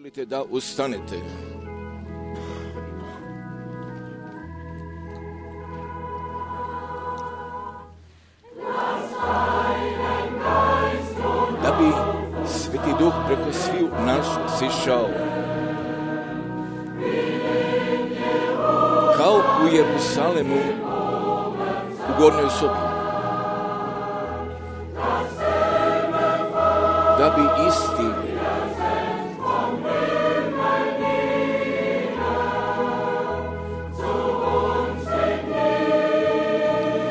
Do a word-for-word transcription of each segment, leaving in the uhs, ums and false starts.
Želite da ustanete? Da bi Sveti Duh preko sviju naš sišao. Kao u Jerusalemu u gornjoj sobi. Da bi isti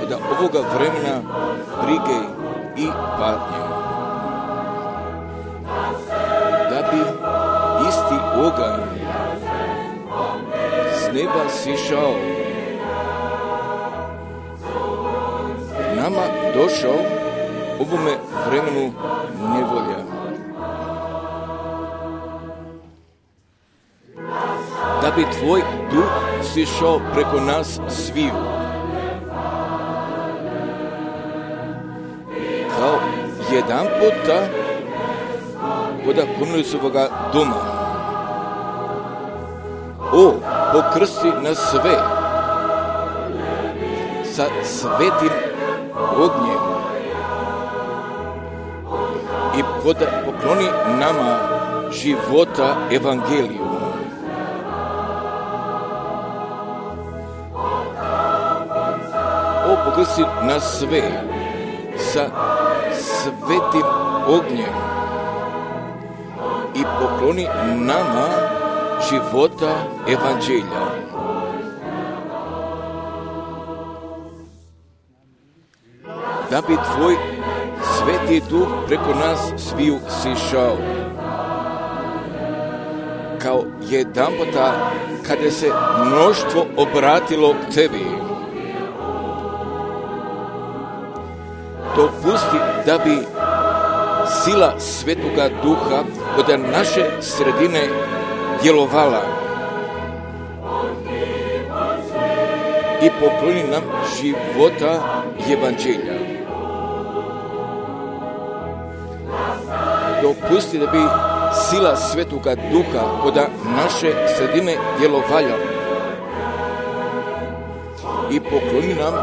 od ovoga vremena brige i patnje. Da bi isti oganj s neba sišao, nama došao ovome vremenu nevolja. Da bi tvoj duh sišao preko nas sviju. Kao jedan puta kod Korneliusovoga doma. O, pokrsti nas sve sa svetim ognjem i pokloni nama života evangeliju. O, pokrsti nas sve sa svetim ognjem i pokloni nama života evanđelja. Da bi tvoj Sveti Duh preko nas sviju sišao. Kao jedan puta kada se mnoštvo obratilo k tebi. Dopusti da bi sila Svetoga Duha kod naše sredine djelovala i pokloni nam života evanđelja. Dopusti da bi sila Svetoga Duha kod naše sredine djelovala i pokloni nam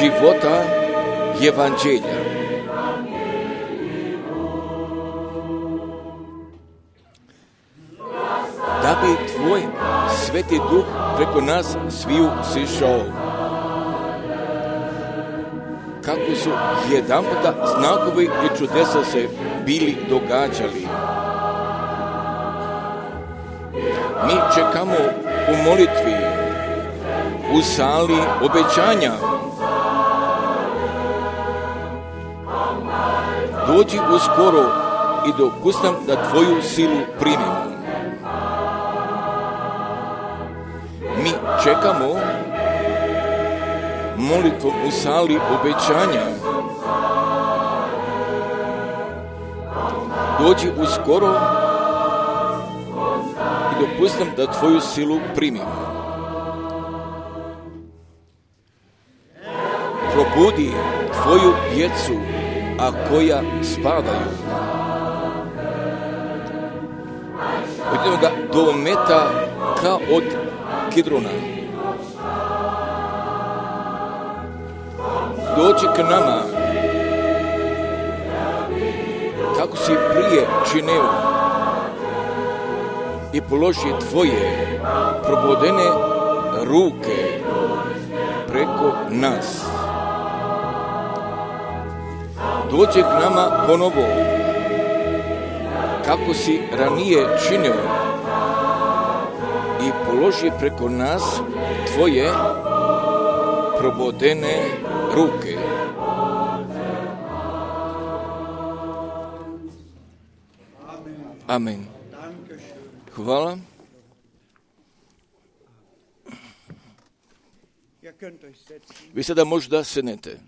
života evanđelja. Da bi tvoj Sveti Duh preko nas sviju sišao. Kako su jedan puta znakovi i čudesa se bili događali. Mi čekamo u molitvi, u sali obećanja. Dođi uskoro i dopustam da tvoju silu primimo. Mi čekamo molitvom u sali obećanja. Dođi uskoro i dopustam da tvoju silu primimo. Probudi tvoju djecu, a koja spavaju. Od jednoga dometa kao od Kidrona. Dođi k nama, kako si prije činio, i položi tvoje probodene ruke preko nas. Dođi k nama ponovo, kako si ranije činio, i položi preko nas tvoje probodene ruke. Amen. Hvala. Vi sada možda sednete.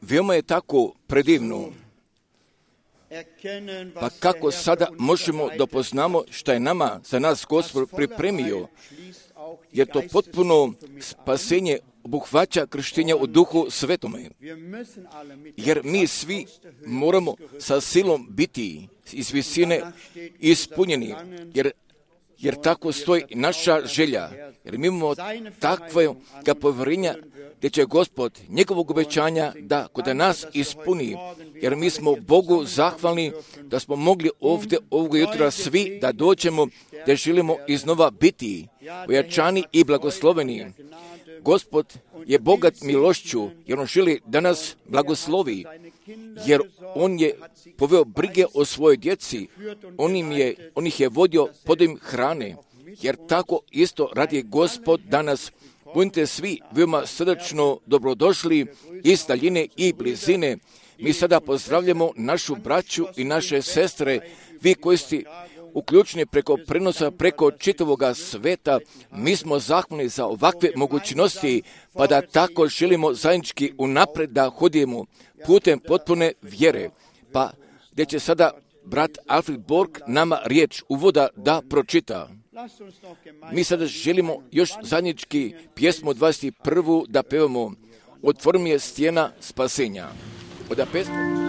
Veoma je tako predivno Pa kako sada možemo da poznamo šta je nama za nas Gospod pripremio, jer to potpuno spasenje obuhvaća krštenje u Duhu Svetome. Jer mi svi moramo sa silom biti iz visine ispunjeni, jer jer tako stoji naša želja, jer mi imamo takve povjerenja gdje će Gospod njegovog obećanja da kod nas ispuni, jer mi smo Bogu zahvalni da smo mogli ovdje ovog jutra svi da dođemo, da želimo iznova biti ojačani i blagosloveni. Gospod je bogat milošću, jer on želi da nas blagoslovi, jer on je poveo brige o svojoj djeci, on, im je, on ih je vodio podom hrane, jer tako isto radi Gospod danas. Budite svi veoma srdačno dobrodošli iz daljine i blizine. Mi sada pozdravljamo našu braću i naše sestre, vi koji ste uključeni preko prenosa, preko čitavoga sveta. Mi smo zahvalni za ovakve mogućnosti, pa da tako želimo zajednički unapred da hodimo putem potpune vjere. Pa gdje će sada brat Alfred Borg nama riječ uvoda da pročita. Mi sada želimo još zajednički pjesmu dvadeset prvu da pevamo. Otvori mi je stijena spasenja. Oda pesma.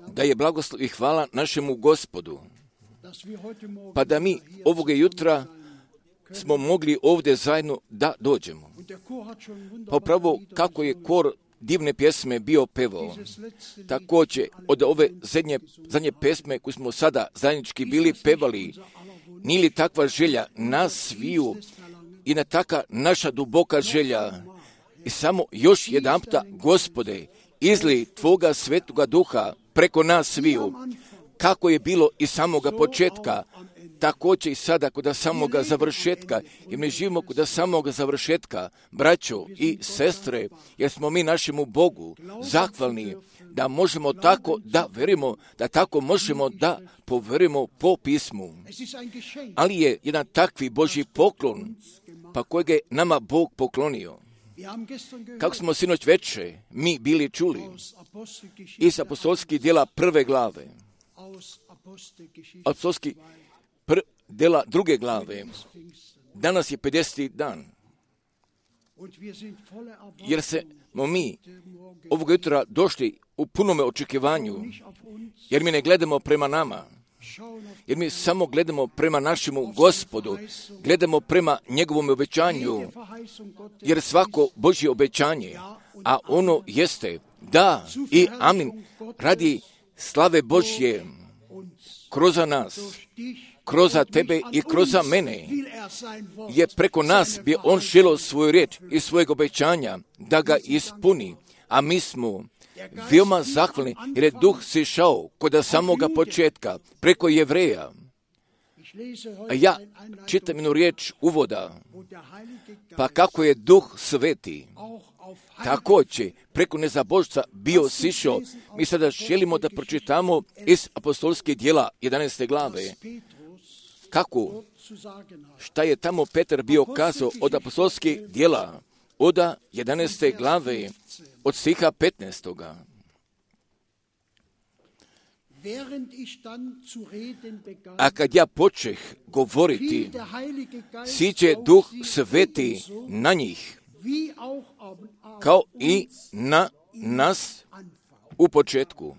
Da je blagoslov i hvala našemu Gospodu, pa da mi ovoga jutra smo mogli ovdje zajedno da dođemo. Pa upravo kako je kor divne pjesme bio pevao, također od ove zadnje, zadnje pjesme koje smo sada zajednički bili pevali, nije li takva želja nas sviju i na taka naša duboka želja i samo još jedanputa, Gospode, izli Tvoga svetoga duha preko nas sviju, kako je bilo i samoga početka, također i sada kod samoga završetka, jer mi živimo kod samoga završetka, braćo i sestre, jer smo mi našemu Bogu zahvalni da možemo tako da verimo, da tako možemo da poverimo po pismu. Ali je jedan takvi Božji poklon, pa kojeg je nama Bog poklonio. Kako smo sinoć veče mi bili čuli iz apostolskih djela prve glave, apostolskih pr- djela druge glave, danas je pedeseti dan. jer smo mi ovog jutra došli u punome očekivanju, jer mi ne gledamo prema nama, jer mi samo gledamo prema našemu Gospodu, gledamo prema njegovom obećanju, jer svako Božje obećanje, a ono jeste da i amin, radi slave Božje kroz nas, kroz tebe i kroz mene, je preko nas bi on želio svoju riječ i svojeg obećanja da ga ispuni, a mi smo veoma zahvalni jer je duh sišao kod samoga početka preko Jevreja. A ja čitam jednu riječ uvoda, pa kako je duh sveti također preko nezabožca bio sišao. Mi sada želimo da pročitamo iz apostolskih djela jedanaeste glave. Kako? Šta je tamo Petar bio kazao od apostolskih djela, od jedanaeste glave, od stiha petnaestoga. A kad ja počeh govoriti, siđe duh sveti na njih, kao i na nas u početku.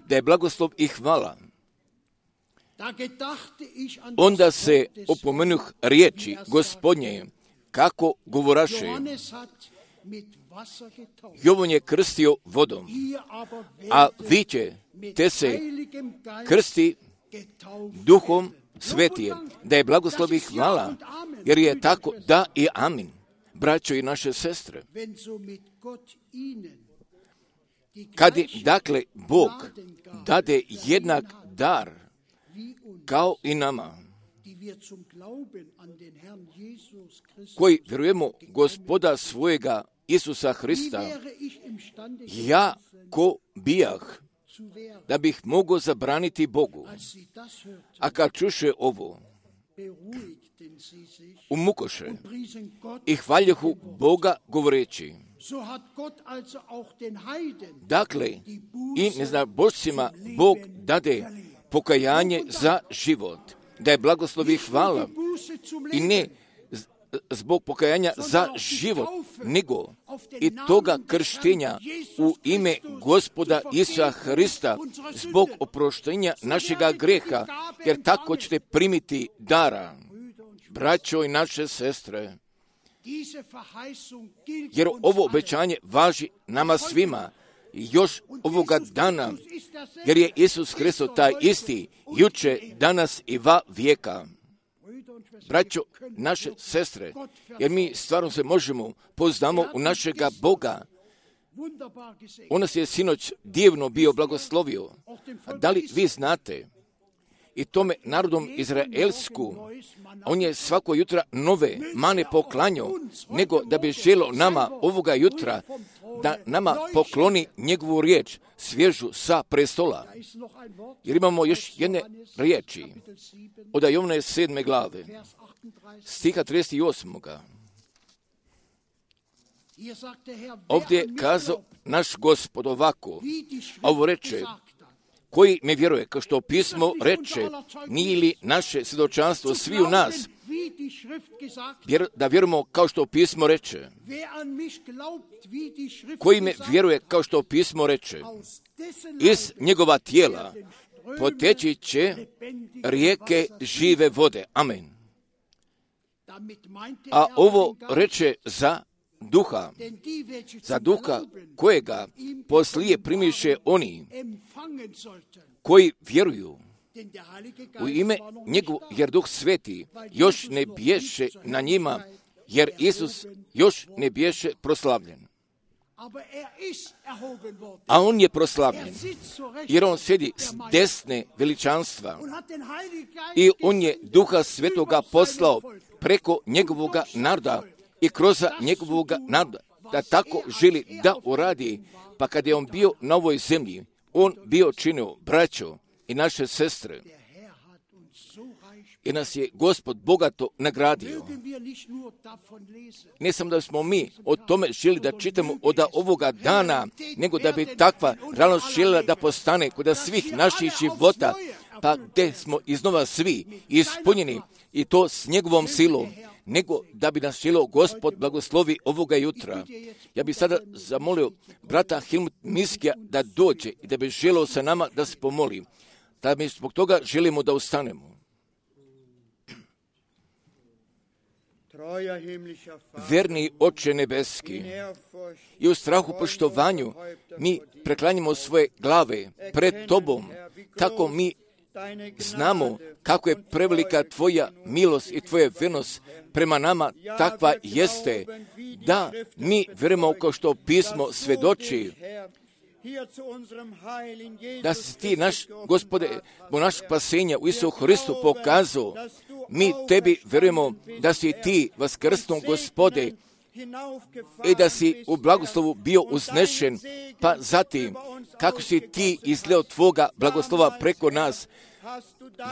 Da je blagoslov i hvala. Onda se opomenuh riječi Gospodnje, kako govoraše. Jovan je krstio vodom, a vi ćete se krsti duhom svetije. Da je blagoslov i hvala, jer je tako da i amin. Braćo i naše sestre, kad je, dakle, Bog dade jednak dar kao i nama, koji vjerujemo Gospoda svojega Isusa Hrista, ja ko bijah, da bih mogao zabraniti Bogu. A kad čuše ovo, umukoše i hvaljehu Boga govoreći. Dakle, i neznabošcima Bog dade pokajanje za život, da je blagoslov i hvala, i ne zbog pokajanja za život, nego i toga krštenja u ime Gospoda Isusa Hrista zbog oproštenja našega greha, jer tako ćete primiti dara. Braćo i naše sestre, jer ovo obećanje važi nama svima, još ovoga dana, jer je Isus Hristos taj isti, juče, danas i va vijeka. Braćo, naše sestre, jer mi stvarno se možemo poznamo u našega Boga. On nas je sinoć divno bio blagoslovio. A da li vi znate, i tome narodom Izraelsku, on je svako jutra nove mane poklanjao, nego da bi želio nama ovoga jutra da nama pokloni njegovu riječ, svježu sa prestola. Jer imamo još jedne riječi od Jovane sedme glave, stiha trideset osam. Ovdje je kazao naš Gospod ovako, a ovo reče, koji me vjeruje, kao što pismo reče, nije li naše svjedočanstvo svi u nas, vjer, da vjerujemo kao što pismo reče. Koji me vjeruje, kao što pismo reče, iz njegova tijela poteći će rijeke žive vode. Amen. A ovo reče za duha, za duha kojega poslije primiše oni koji vjeruju u ime njegov, jer duh sveti još ne bješe na njima, jer Isus još ne bješe proslavljen. A on je proslavljen, jer on sjedi s desne veličanstva i on je duha svetoga poslao preko njegovoga naroda i kroz njegovoga naroda, da tako želi da uradi. Pa kad je on bio na ovoj zemlji, on bio činio braćo i naše sestre, i nas je Gospod bogato nagradio. Ne samo da smo mi o tome želi da čitamo od ovoga dana, nego da bi takva realnost željela da postane kod svih naših života, pa gdje smo iznova svi ispunjeni, i to s njegovom silom. nego da bi nas želio Gospod blagoslovi ovoga jutra. Ja bih sada zamolio brata Helmut Miskija da dođe i da bi želio sa nama da se pomoli. Da mi zbog toga želimo da ustanemo. Verni Oče nebeski, i u strahu poštovanju mi preklanjamo svoje glave pred Tobom, tako mi znamo kako je prevelika Tvoja milost i Tvoja vernost prema nama, takva jeste, da mi vjerujemo kao što pismo svedoči, da si Ti, naš Gospode, bo naš spasenja u Isusu Hristu pokazao. Mi Tebi vjerujemo da si Ti vaskrsnuo, Gospode, i da si u blagoslovu bio uznešen, pa zatim kako si Ti izleo Tvoga blagoslova preko nas,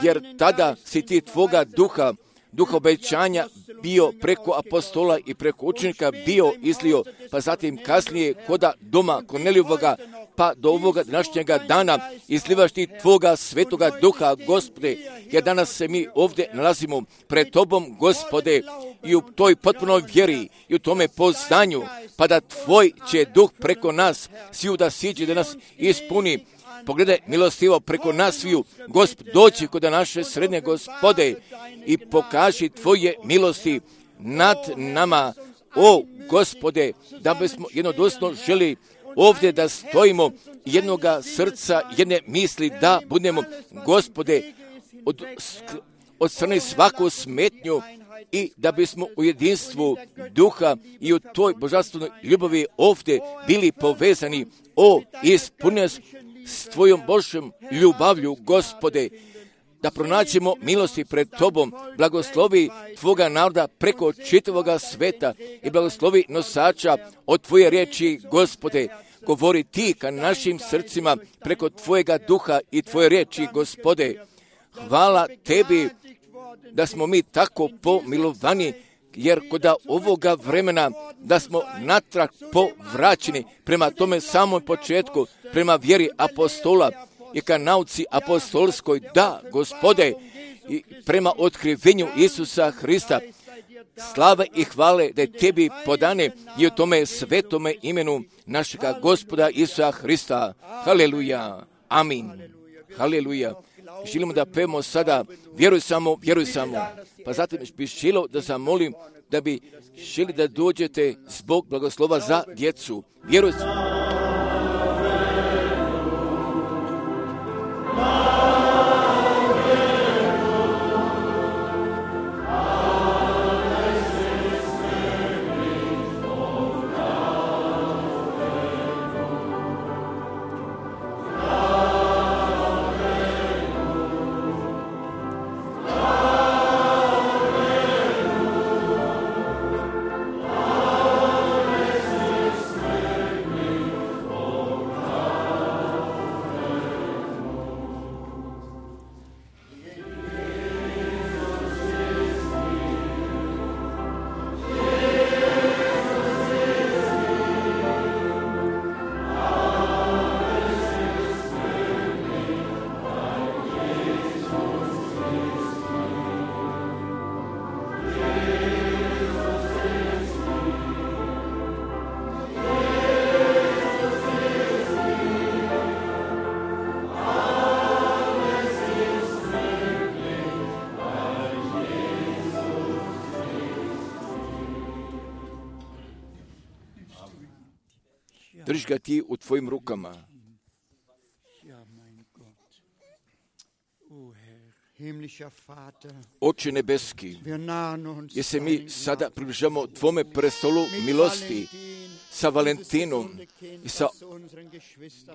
jer tada si Ti Tvoga duha, duha obećanja bio preko apostola i preko učenika bio izlio, pa zatim kasnije koda doma Kornelijevoga, pa do ovoga današnjega dana izlivaš Ti Tvoga svetoga duha, Gospode, jer danas se mi ovdje nalazimo pred Tobom, Gospode, i u toj potpunoj vjeri i u tome poznanju, pa da Tvoj će duh preko nas sviju da siđe, da nas ispuni. Pogledaj milostivo preko nas sviju, Gospod, doći kod naše srednje, Gospode, i pokaži Tvoje milosti nad nama, o Gospode, da bismo jednodosno želi ovdje da stojimo jednoga srca, jedne misli, da budemo, Gospode, od, od strane svaku smetnju i da bismo u jedinstvu duha i u toj božanstvenoj ljubavi ovdje bili povezani. O, ispuni nas s Tvojom Božjom ljubavlju, Gospode, da pronaćemo milosti pred Tobom, blagoslovi Tvoga naroda preko čitavoga sveta i blagoslovi nosača od Tvoje riječi, Gospode. Govori Ti ka našim srcima preko Tvojega duha i Tvoje riječi, Gospode. Hvala Tebi da smo mi tako pomilovani, jer kod ovoga vremena da smo natrag povraćeni prema tome samom početku, prema vjeri apostola i ka nauci apostolskoj, da, Gospode, i prema otkrivenju Isusa Hrista. Slava i hvale da je Tebi podane i u tome svetome imenu našega Gospoda Isusa Hrista. Haleluja. Amin. Haleluja. Želimo da pevamo sada vjeruj samo, vjeruj samo. Pa zatim bih želio da zamolim da bi želi da dođete zbog blagoslova za djecu. Vjeruj samo. Drži ga Ti u Tvojim rukama. Oče nebeski, jer se mi sada približamo Tvome prestolu milosti sa Valentinom i sa,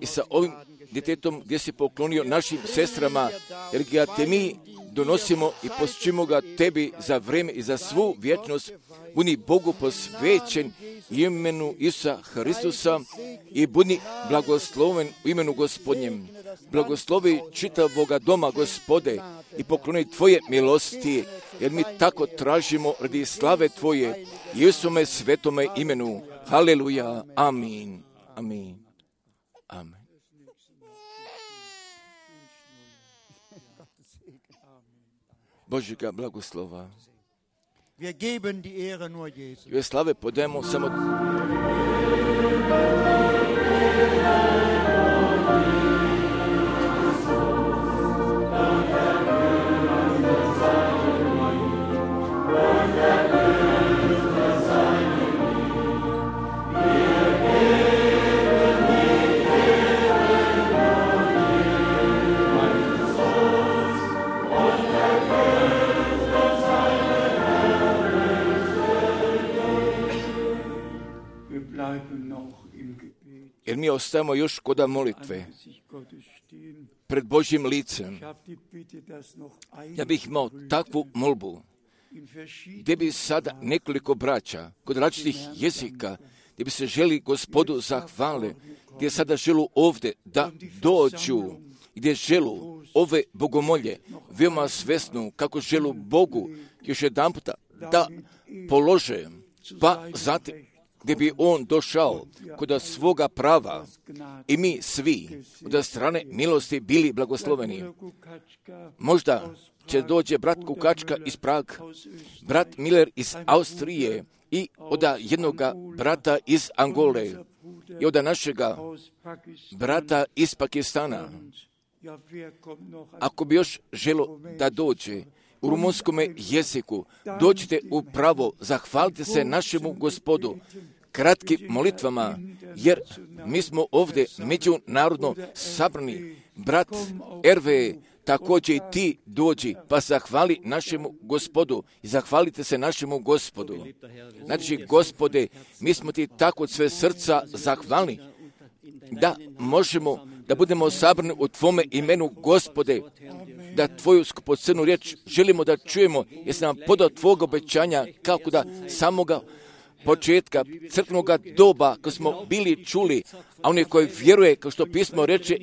i sa ovim djetetom gdje si poklonio našim sestrama, jer ga Te mi donosimo i posjećujemo ga Tebi za vrijeme i za svu vječnost. Budi Bogu posvećen imenu Isusa Hristusa i budi blagosloven u imenu Gospodnjem. Blagoslovi čitavoga doma, Gospode, i pokloni Tvoje milosti, jer mi tako tražimo radi slave Tvoje, Isuse svetome imenu. Haleluja. Amin. Amin. Amen. Božjega blagoslova. I slave podajemo samo jer mi ostajemo još kod molitve pred Božjim licem. Ja bih imao takvu molbu, gdje bi sada nekoliko braća kod različitih jezika, gdje bi se želi Gospodu zahvale, gdje sada želu ovdje da dođu, gdje želu ove bogomolje veoma svesnu kako želu Bogu još jedan puta da polože, pa zatim gdje bi on došao kod svoga prava i mi svi od strane milosti bili blagosloveni. Možda će dođe brat Kukačka iz Praga, brat Miller iz Austrije i od jednoga brata iz Angole i od našega brata iz Pakistana. Ako bi još želo da dođe u rumunskom jeziku, dođite upravo, zahvalite se našemu Gospodu kratkim molitvama, jer mi smo ovdje međunarodno sabrani. Brat Erve, također i ti dođi, pa zahvali našemu Gospodu i zahvalite se našemu Gospodu. Znači, Gospode, mi smo ti tako od sve srca zahvalni da možemo da budemo sabrani u Tvome imenu, Gospode, da Tvoju skupocenu riječ želimo da čujemo, jer si nam podao Tvog obećanja kako da samoga početka crkvenog doba, ko smo bili čuli, a oni koji vjeruje, kao što pismo reče,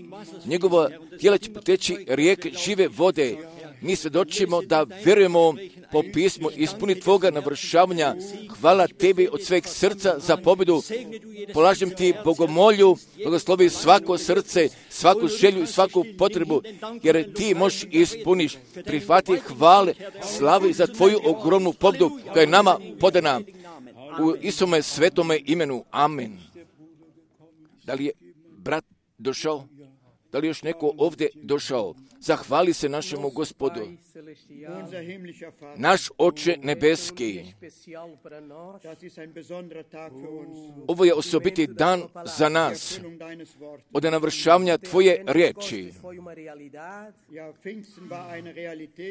njegova tijela će poteći rijeke žive vode. Mi svjedočimo da vjerujemo po pismu, ispuni Tvoga navršavanja. Hvala Tebi od sveg srca za pobjedu. Polažem Ti bogomolju, blagoslovi svako srce, svaku želju i svaku potrebu, jer Ti možeš ispuniš. Prihvati hvale, slavi za Tvoju ogromnu pobjedu koja je nama podana. U Isome svetome imenu. Amen. Da li je brat došao? Da li još neko ovdje došao? Zahvali se našemu Gospodu. Naš Oče nebeski, ovo je osobiti dan za nas od navršavanja Tvoje riječi.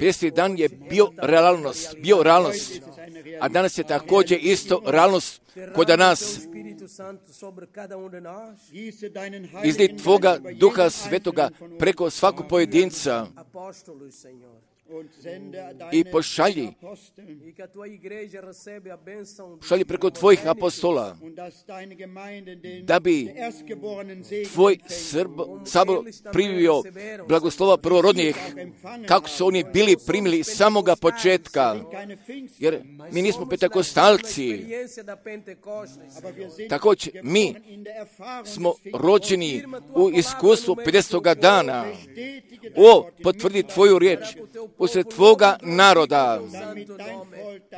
Pesti dan je bio realnost, bio realnost, a danas je također isto realnost kod nas. Izli Tvoga Duha Svetoga preko svakog pojedinca i pošalji, pošalji preko Tvojih apostola, da bi Tvoj sabor primio blagoslova prvorodnijih, kako su oni bili primili samoga početka, jer mi nismo pentekostalci. Također, mi smo rođeni u iskustvu pedesetoga dana. O, potvrdi Tvoju riječ usred Tvoga naroda,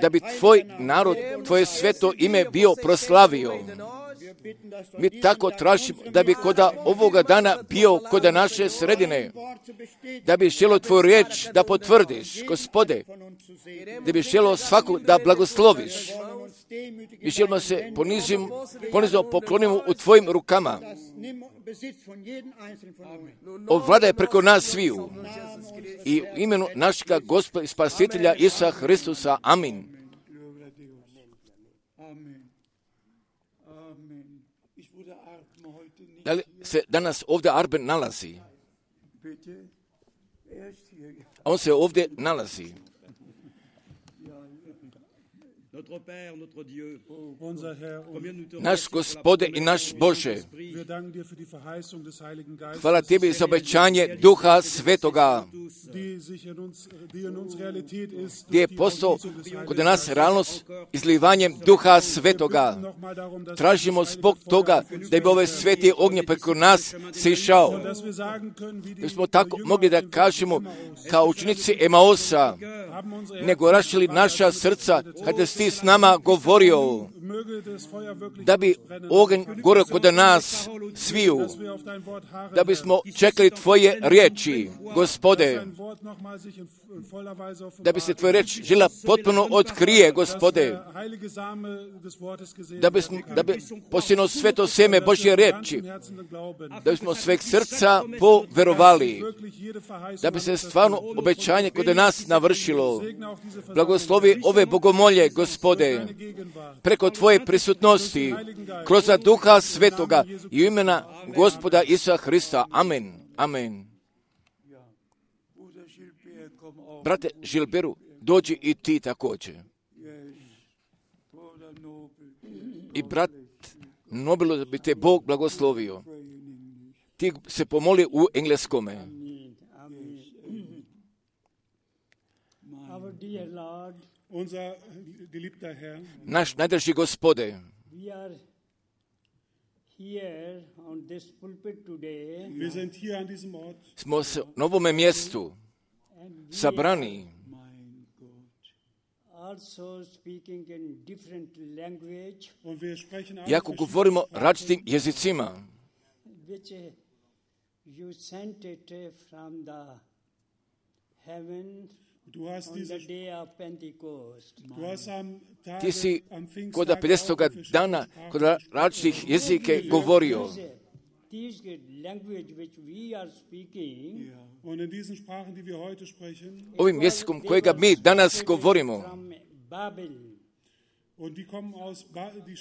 da bi Tvoj narod, Tvoje sveto ime bio proslavio. Mi tako tražimo da bi kod ovoga dana bio kod naše sredine, da bi želo Tvoju riječ da potvrdiš, Gospode, da bi želo svakog da blagosloviš. I želimo se ponizim, ponizno poklonimo u Tvojim rukama. Ovladaj preko nas sviju. I u imenu našega Gospoda i Spasitelja Isusa Hristusa. Amin. Da li se danas ovdje Arben nalazi? On se ovdje nalazi. Naš Gospode i naš Bože, hvala Tebi za obećanje Duha Svetoga, gdje je postao kod nas realnost izlivanjem Duha Svetoga. Tražimo zbog toga da bi ove sveti ognje preko nas sišao. Da smo tako mogli da kažemo kao učenici Emaosa, nego rašili naša srca kada si ti s nama govorio, da bi oganj gorio kod nas sviju, da bismo čekali tvoje riječi, Gospode, da bi se tvoja riječ žela potpuno otkrije, Gospode, da bi, da bi posijeno sveto seme Božje riječi, da bismo sveg srca poverovali, da bi se stvarno obećanje kod nas navršilo. Blagoslovi ove bogomolje, Gospode, preko tvoje prisutnosti, kroz Duha Svetoga i imena Gospoda Isusa Hrista. Amen. Amen. Brate Žilberu, dođi i ti također. I brat Nobilo, da bi te Bog blagoslovio. Ti se pomoli u engleskome. Naš najdraži Gospode, smo se na ovome mjestu sabrani, iako govorimo različitim jezicima, ti si kod pedesetoga dana kod različitih jezike govorio. Ovim jezikom kojega mi danas govorimo,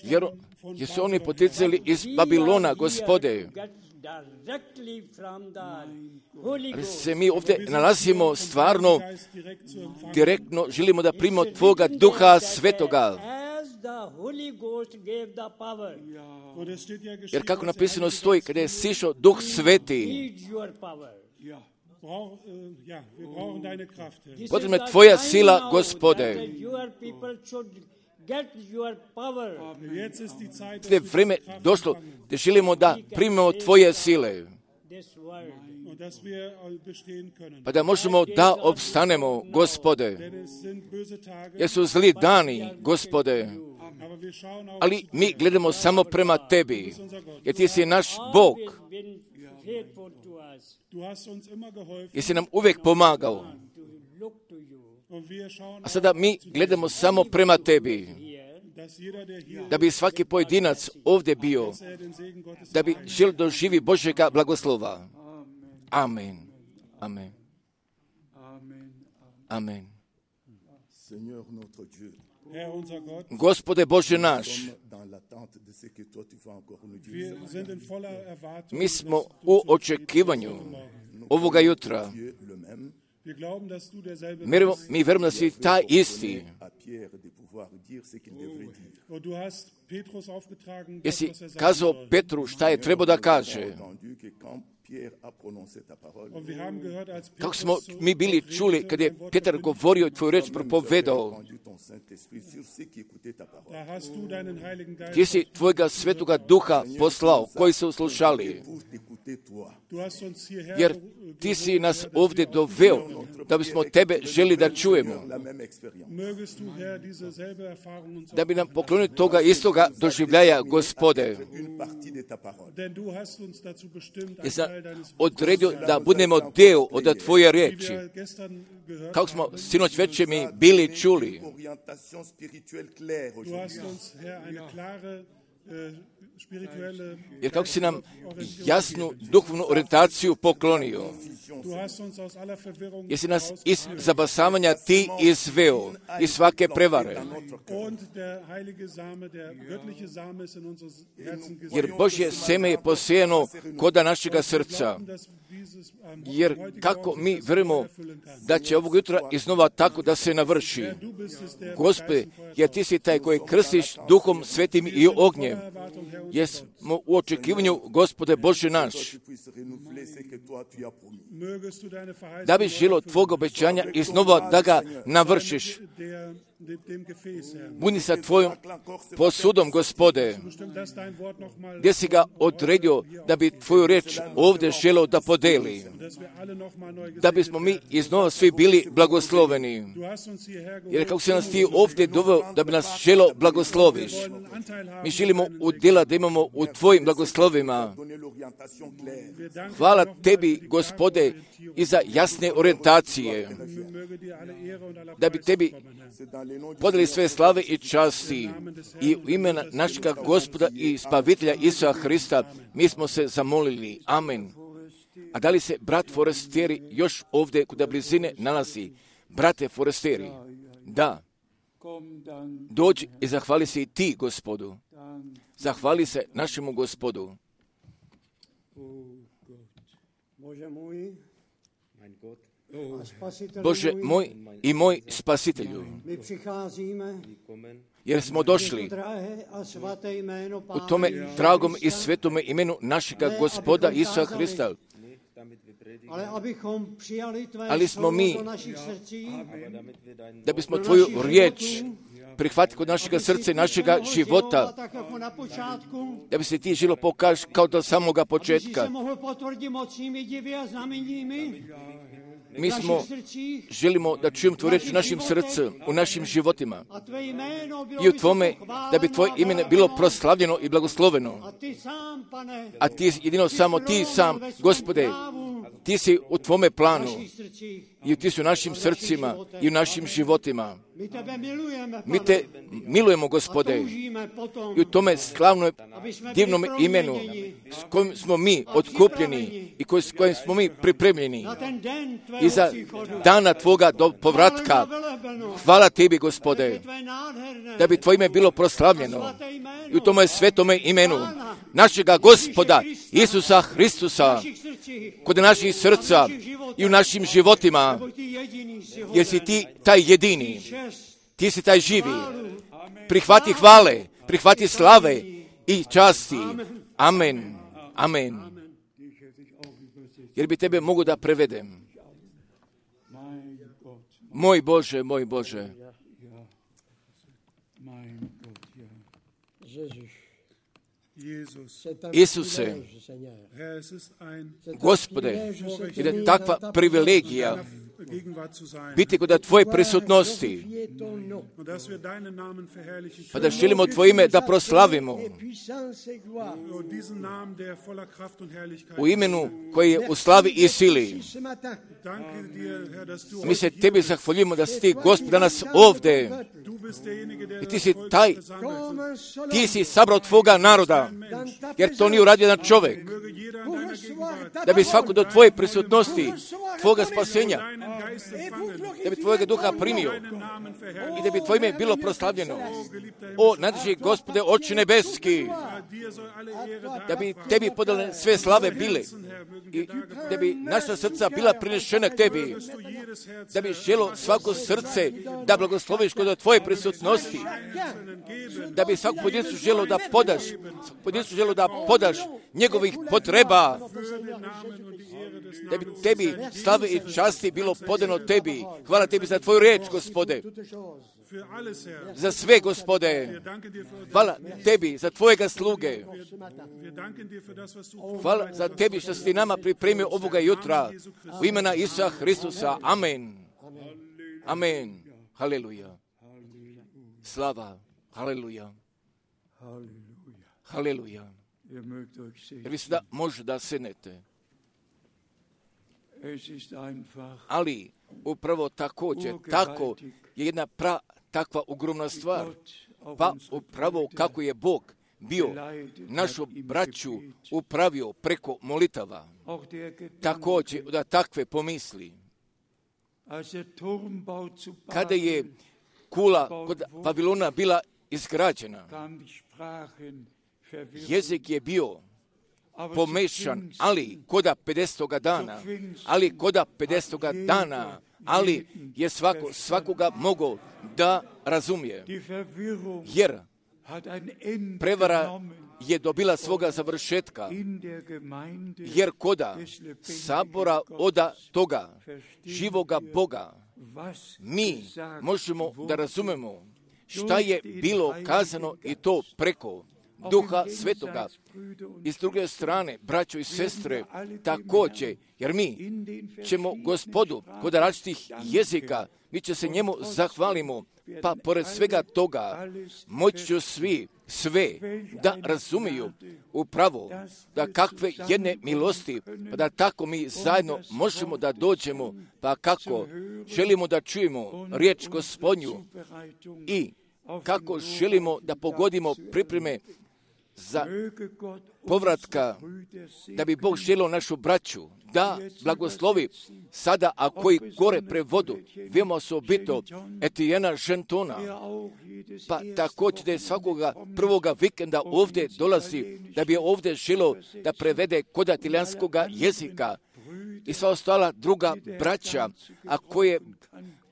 jer, jer su oni poticali iz Babilona, Gospode. Ali se mi ovdje nalazimo stvarno direktno, želimo da primimo Tvoga Duha Svetoga. Jer kako napisano stoji, kada je sišao Duh Sveti, potrebna je Tvoja sila, Gospode. Sada je vrijeme došlo da želimo da primimo Tvoje sile, pa da možemo da opstanemo, Gospode. Jer su zli dani, Gospode, ali mi gledamo samo prema Tebi, jer Ti si naš Bog. Jer si nam uvijek pomagao. A sada mi gledamo samo prema Tebi, da bi svaki pojedinac ovdje bio, da bi želio doživi Božjega blagoslova. Amen. Amen. Amen. Gospode Bože naš, mi smo u očekivanju ovoga jutra. Mi vjerujemo da si taj isti. Jesi kazao Petru šta je trebao da kaže. Kako smo mi bili čuli kad je Petar govorio i tvoju reč propovedao. Ti si tvojega svetoga duha poslao, koji su slušali. Jer ti si nas ovdje doveo, da bismo tebe želi da čujemo. Da bi nam poklonio toga istoga doživljaja, Gospode. Jer sam odredio da budemo dio od Tvoje riječi. Kako smo sinoć večer mi bili čuli. Jer kako si nam jasnu duhovnu orijentaciju poklonio, jer si nas iz zabasavanja ti izveo, iz svake prevare. Jer Božje seme je posijeno koda našega srca. Jer kako mi vjerujemo da će ovog jutra iznova tako da se navrši. Gospode, jer ti si taj koji krstiš Duhom Svetim i ognjem. Jer smo u očekivanju, Gospode Bože naš, da bi želo Tvog obećanja iznova da ga navršiš. budi sa tvojom posudom, Gospode, gdje si ga odredio da bi tvoju reč ovdje želeo da podeli, da bismo mi iznova svi bili blagosloveni. Jer kako si nas ti ovdje doveo da bi nas želeo blagosloviš, mi želimo udjela da imamo u tvojim blagoslovima. Hvala tebi, Gospode, i za jasne orijentacije, da bi tebi podali sve slave i časti i u imena našega Gospoda i Spavitelja Isusa Hrista mi smo se zamolili. Amen. A da li se brat Forestieri još ovdje kod blizine nalazi? Brate Forestieri, da. Dođi i zahvali se i ti, Gospodu. Zahvali se našemu Gospodu. Bože moj i moj Spasitelju, jer smo došli u tome dragom i svetome imenu našega Gospoda Isusa Hrista, ali smo mi, da bismo tvoju riječ prihvatili kod našega srca i našega života, da bi se ti želo pokaži kao do samoga početka. Mi smo, želimo da čujemo tvoju reč u našim srcu, u našim životima i u tvome, da bi tvoje ime bilo proslavljeno i blagosloveno. A ti jedino samo ti sam, Gospode, ti si u tvome planu i ti si u našim srcima i u našim životima. Mi te milujemo, Gospode, i u tome slavnom, divnom imenu s kojim smo mi otkupljeni i s kojim smo mi pripremljeni i za dana tvoga do povratka. Hvala tebi, Gospode, da bi tvoje ime bilo proslavljeno i u tome svetome imenu našega Gospoda Isusa Hristusa kod naših srca i u našim životima, jer si ti taj jedini, ti si taj živi. Prihvati hvale, prihvati slave i časti. Amen. Amen. Jer bi tebe mogu da prevedem. Moj Bože, moj Bože. Isuse, Gospode, je takva privilegija biti kod tvoje prisutnosti, pa da želimo tvoje ime da proslavimo u imenu koji je u slavi i sili. Mi se tebi zahvaljujemo da si ti, Gospod, danas ovdje i ti si taj, ti si sabrao tvoga naroda, jer to nije uradio jedan čovjek, da bi svako do tvoje prisutnosti, tvoga spasenja, da bi tvojega duha primio i da bi tvoje ime bilo proslavljeno. O, nadži, Gospode, Oče nebeski, da bi tebi podale sve slave bile i da bi naša srca bila prinešena k tebi, da bi želo svako srce da blagosloviš kod tvoje prisutnosti, da bi svako pojedincu želo da podaš, pojedincu želo da podaš njegovih potreba, da bi tebi slave i časti bilo podano tebi. Hvala tebi za tvoju riječ, Gospode. Za sve, Gospode. Hvala tebi za tvojega sluge. Hvala za tebi što si ti nama pripremio ovoga jutra. U imena Isusa Hristusa. Amen. Amen. Haleluja. Slava. Haleluja. Haleluja. Jer vi sada može da sednete. Ali upravo također, tako je jedna pra, takva ogromna stvar. Pa upravo kako je Bog bio našu braću upravio preko molitava. Također da takve pomisli. Kada je kula kod Vavilona bila izgrađena, jezik je bio pomešan, ali koda pedesetoga dana, ali koda pedesetoga dana, ali je svako, svakoga mogao da razumije. Jer prevara je dobila svoga završetka, jer koda sabora oda toga živoga Boga mi možemo da razumemo šta je bilo kazano i to preko Duha Svetoga. I s druge strane, braćo i sestre, također, jer mi ćemo Gospodu kod različitih jezika, mi će se njemu zahvalimo, pa pored svega toga moći će svi sve da razumiju upravo da kakve jedne milosti, pa da tako mi zajedno možemo da dođemo, pa kako želimo da čujemo riječ Gospodnju i kako želimo da pogodimo pripreme za povratka, da bi Bog želio našu braću, da blagoslovi sada, a koji gore prevodu, veoma osobito Etijena Žentona, pa također da je svakoga prvoga vikenda ovdje dolazi, da bi ovdje želio da prevede kod italijanskoga jezika i sva ostala druga braća, a koje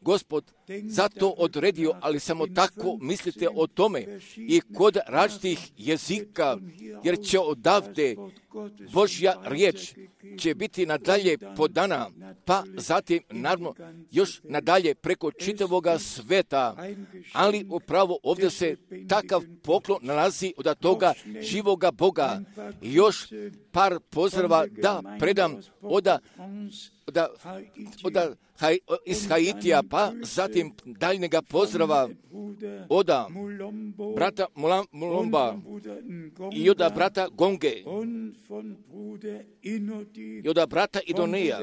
Gospod zato odredio, ali samo tako mislite o tome i kod različitih jezika, jer će odavde Božja riječ će biti nadalje podana, pa zatim naravno još nadalje preko čitavoga sveta, ali upravo ovdje se takav poklon nalazi od toga živoga Boga. Još par pozdrava da predam od Oda, oda, haj, iz Haitija, pa zatim daljnjega pozdrava oda brata Mulomba i oda brata Gonge i oda brata Idonija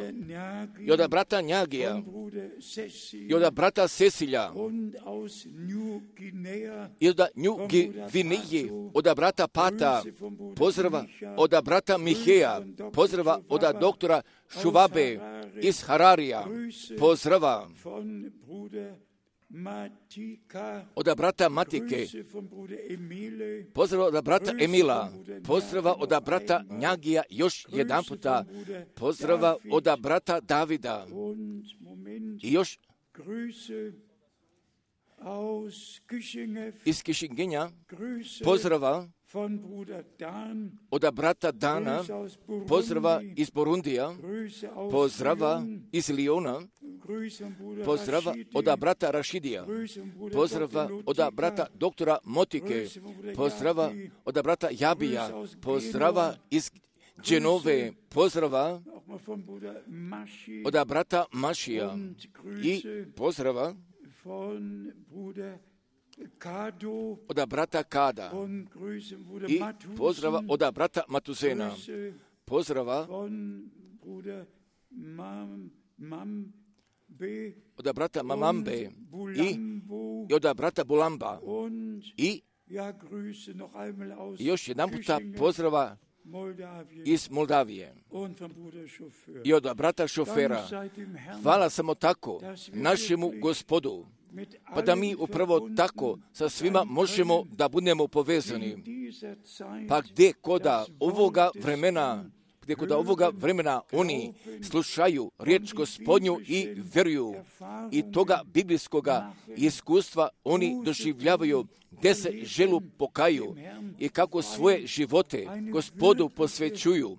i oda brata Njagija i oda brata Cecilja i oda Nju Gviniji, oda brata Pata, pozdrava oda brata Miheja, pozdrava oda doktora Šuvabe iz Hararija, pozdrava oda brata Matike, pozdrava oda brata Emila, pozdrava oda brata Njagija još jedan puta, pozdrava oda brata Davida i još iz Kišingenja, pozdrava oda brata Dana, pozdrava iz Borundija, pozdrava iz Liona, pozdrava oda brata Rašidija, pozdrava oda brata doktora Motike, pozdrava oda brata Jabija, pozdrava iz Dženove, pozdrava oda brata Mašija i pozdrava oda brata Kada i pozdrava oda brata Matuzena, pozdrava oda brata Mamambe i, i oda brata Bulamba i još jedan puta pozdrava iz Moldavije i od brata Šofera. Hvala samo tako našemu Gospodu, pa da mi upravo tako sa svima možemo da budemo povezani. Pa gdje koda ovoga vremena, gdje koda ovoga vremena oni slušaju riječ Gospodnju i vjeruju i toga biblijskoga iskustva oni doživljavaju, gdje se želu pokaju i kako svoje živote Gospodu posvećuju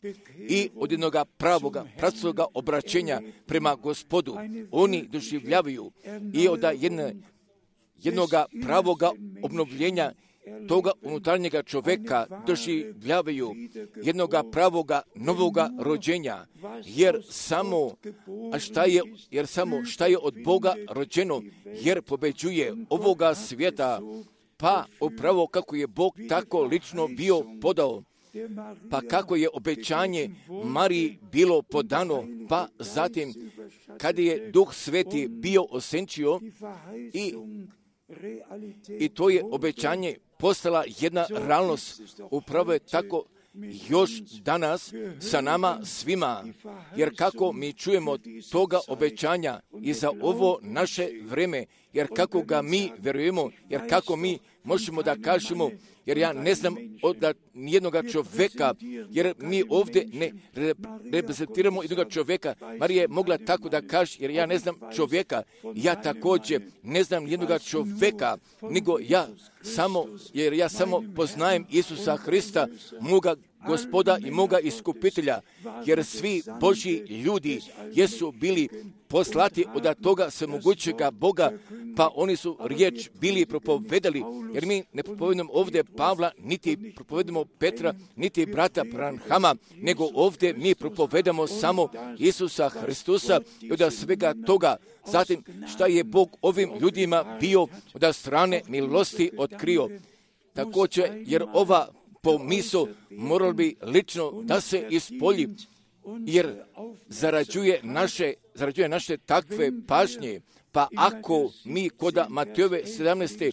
i od jednoga pravoga, pravcoga obraćenja prema Gospodu oni doživljavaju i od jedne, jednoga pravoga obnovljenja toga unutarnjega čovjeka doživljavaju jednoga pravoga novoga rođenja, jer samo a šta je, jer samo šta je od Boga rođeno, jer pobeđuje ovoga svijeta, pa upravo kako je Bog tako lično bio podao, pa kako je obećanje Mariji bilo podano, pa zatim kada je Duh Sveti bio osenčio i I to je obećanje postala jedna realnost. Upravo je tako još danas sa nama svima, jer kako mi čujemo toga obećanja i za ovo naše vreme, jer kako ga mi vjerujemo, jer kako mi možemo da kažemo, jer ja ne znam od nijednoga čovjeka, jer mi ovdje ne reprezentiramo jednoga čovjeka. Marija je mogla tako da kaže, jer ja ne znam čovjeka, ja također ne znam nijednoga čovjeka, nego ja samo, jer ja samo poznajem Isusa Hrista, moga Gospoda i moga iskupitelja, jer svi Božji ljudi jesu bili poslati od toga svemogućega Boga, pa oni su riječ bili propovedali, jer mi ne propovedamo ovdje Pavla, niti propovedamo Petra, niti brata Branhama, nego ovdje mi propovedamo samo Isusa Hristusa i od svega toga. Zatim, šta je Bog ovim ljudima bio od strane milosti otkrio. Također, jer ova pomisao moral bi lično da se ispolji, jer zarađuje naše, zarađuje naše takve pažnje. Pa ako mi koda Matejove sedamnaeste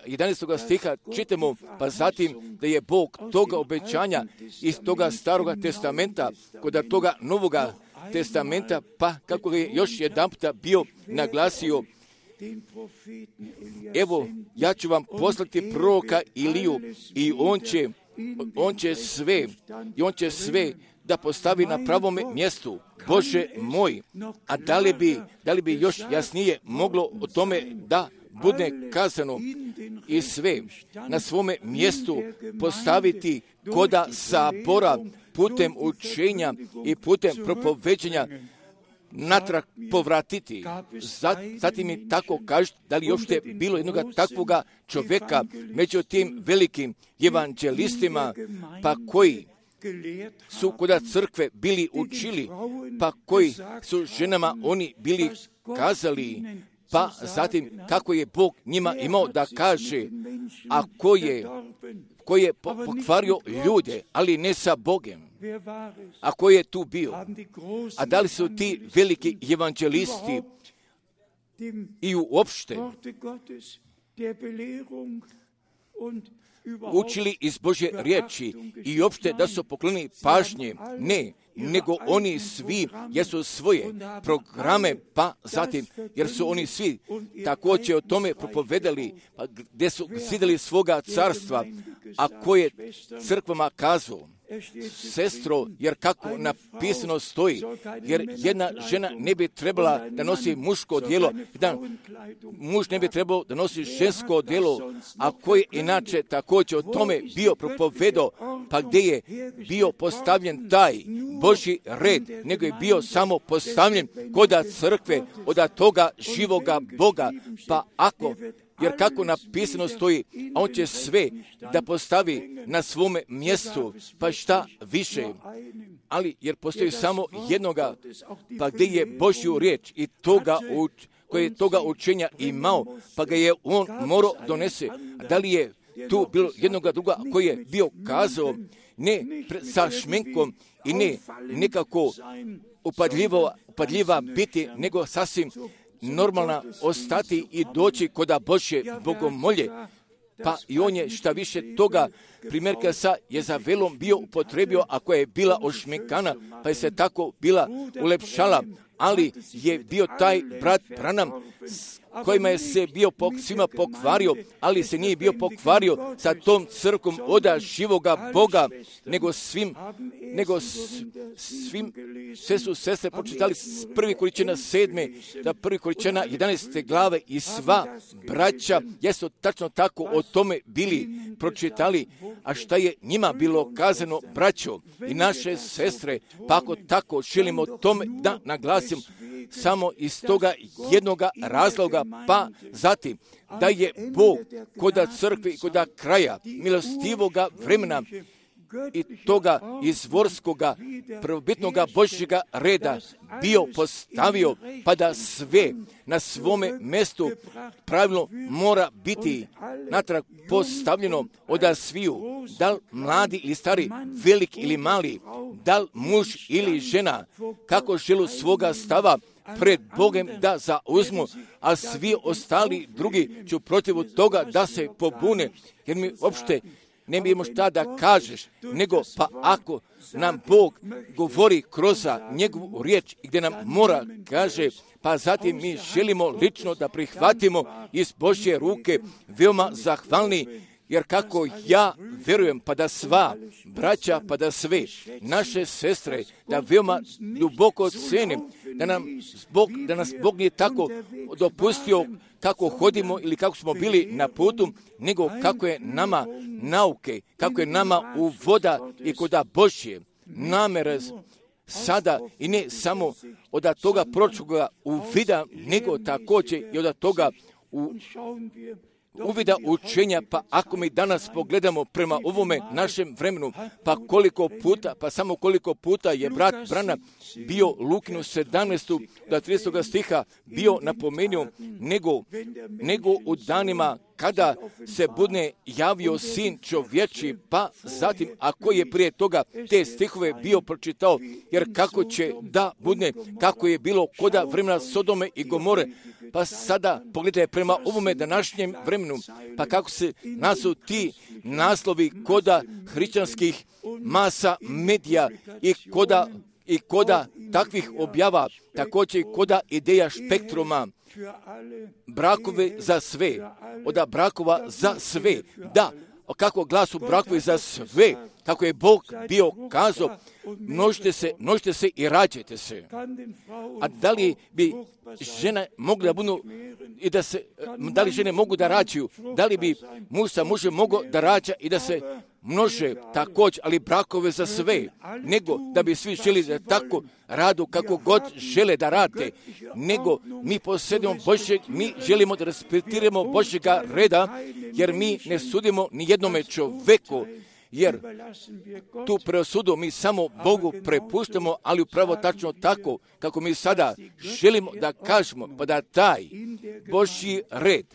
jedanaestog stiha čitamo, pa zatim da je Bog toga obećanja iz toga staroga testamenta, koda toga novoga testamenta, pa kako je još jedanputa bio naglasio, evo, ja ću vam poslati proroka Iliju i on će, on će sve, i on će sve da postavi na pravome mjestu. Bože moj, a da li bi, da li bi još jasnije moglo o tome da bude kazano i sve na svome mjestu postaviti koda sabora putem učenja i putem propoveđenja natrag povratiti. Zatim mi tako kažete, da li uopšte bilo jednoga takvoga čovjeka među tim velikim evanđelistima, pa koji su koda crkve bili učili, pa koji su ženama oni bili kazali, pa zatim kako je Bog njima imao da kaže, a ko je, ko je pokvario ljude, ali ne sa Bogem. A ko je tu bio? A da li su ti veliki evanđelisti i uopšte učili iz Božje riječi i uopšte da su poklonili pažnje? Ne, nego oni svi jesu svoje programe, pa zatim, jer su oni svi također o tome propovedali, pa gdje su zidali svoga carstva, a ko je crkvama kazao, sestro, jer kako napisano stoji, jer jedna žena ne bi trebala da nosi muško odjelo, jedan muž ne bi trebao da nosi žensko odjelo, a koji inače također o tome bio propovedao, pa gdje je bio postavljen taj Božji red, nego je bio samo postavljen koda crkve od toga živoga Boga, pa ako, jer kako napisano stoji, a on će sve da postavi na svome mjestu, pa šta više, ali jer postoji samo jednoga, pa gdje je Božju riječ i toga uč, koji je toga učenja imao, pa ga je on morao donese. Da li je tu bilo jednoga druga koji je bio kazao, ne sa šminkom i ne nekako upadljiva, upadljiva biti, nego sasvim normalna ostati i doći koda Božje bogomolje. Pa i on je šta više toga primjerka sa Jezavelom bio upotrebio, ako je bila ošminkana, pa je se tako bila ulepšala, ali je bio taj brat Branham kojima je se bio pok, svima pokvario, ali se nije bio pokvario sa tom crkom oda živoga Boga, nego svim, nego svim, sve su sestre počitali prvi Korinćana sedme, da prvi Korinćana jedanaeste glave i sva braća jesu tačno tako o tome bili pročitali, a šta je njima bilo kazano, braćo i naše sestre, pa ako tako želimo tome da naglasim, samo iz toga jednoga razloga, pa zatim da je Bog koda crkve i koda kraja milostivoga vremena i toga izvorskoga prvobitnoga Božjega reda bio postavio, pa da sve na svome mjestu pravilno mora biti natrag postavljeno od sviju, da li mladi ili stari, velik ili mali, da li muž ili žena, kako želu svoga stava pred Bogem da zauzmu, a svi ostali drugi ću protiv toga da se pobune, jer mi uopšte ne bijemo šta da kažeš, nego pa ako nam Bog govori kroz njegovu riječ i gdje nam mora kaže, pa zatim mi želimo lično da prihvatimo iz Božje ruke, veoma zahvalni, Jer kako ja verujem, pa da sva braća, pa da sve naše sestre, da veoma duboko cenim, da, nam Bog, da nas Bog nije tako dopustio kako hodimo ili kako smo bili na putu, nego kako je nama nauke, kako je nama u voda i koda Božje namere sada i ne samo od toga pročuga uvida, nego također i od toga u uvida učenja. Pa ako mi danas pogledamo prema ovome našem vremenu, pa koliko puta, pa samo koliko puta je brat Branham bio Lukinu sedamnaestog do tridesetog stiha bio napomenuo, nego, nego u danima kada se bude javio sin čovječi, pa zatim ako je prije toga te stihove bio pročitao, jer kako će da bude, kako je bilo koda vremena Sodome i Gomore, pa sada pogledajte prema ovome današnjem vremenu, pa kako se nasu ti naslovi koda hrišćanskih masa medija i koda, i koda takvih objava, također i koda ideja spektruma, brakove za sve, oda brakova za sve, da, kako glasu brakovi za sve, kako je Bog bio kazao, množite se, množite se i rađajte se. A da li bi žene mogla da budu i da se, da li žene mogu da rađaju, da li bi muž sa mužem mogao da rađa i da se množe također, ali brakove za sve, nego da bi svi želi da tako radu kako god žele da rade, nego mi posjedimo Božjeg, mi želimo da respektiramo Božjega reda, jer mi ne sudimo ni jednome čoveku, jer tu presudu mi samo Bogu prepuštamo, ali upravo tačno tako kako mi sada želimo da kažemo, pa da taj Božji red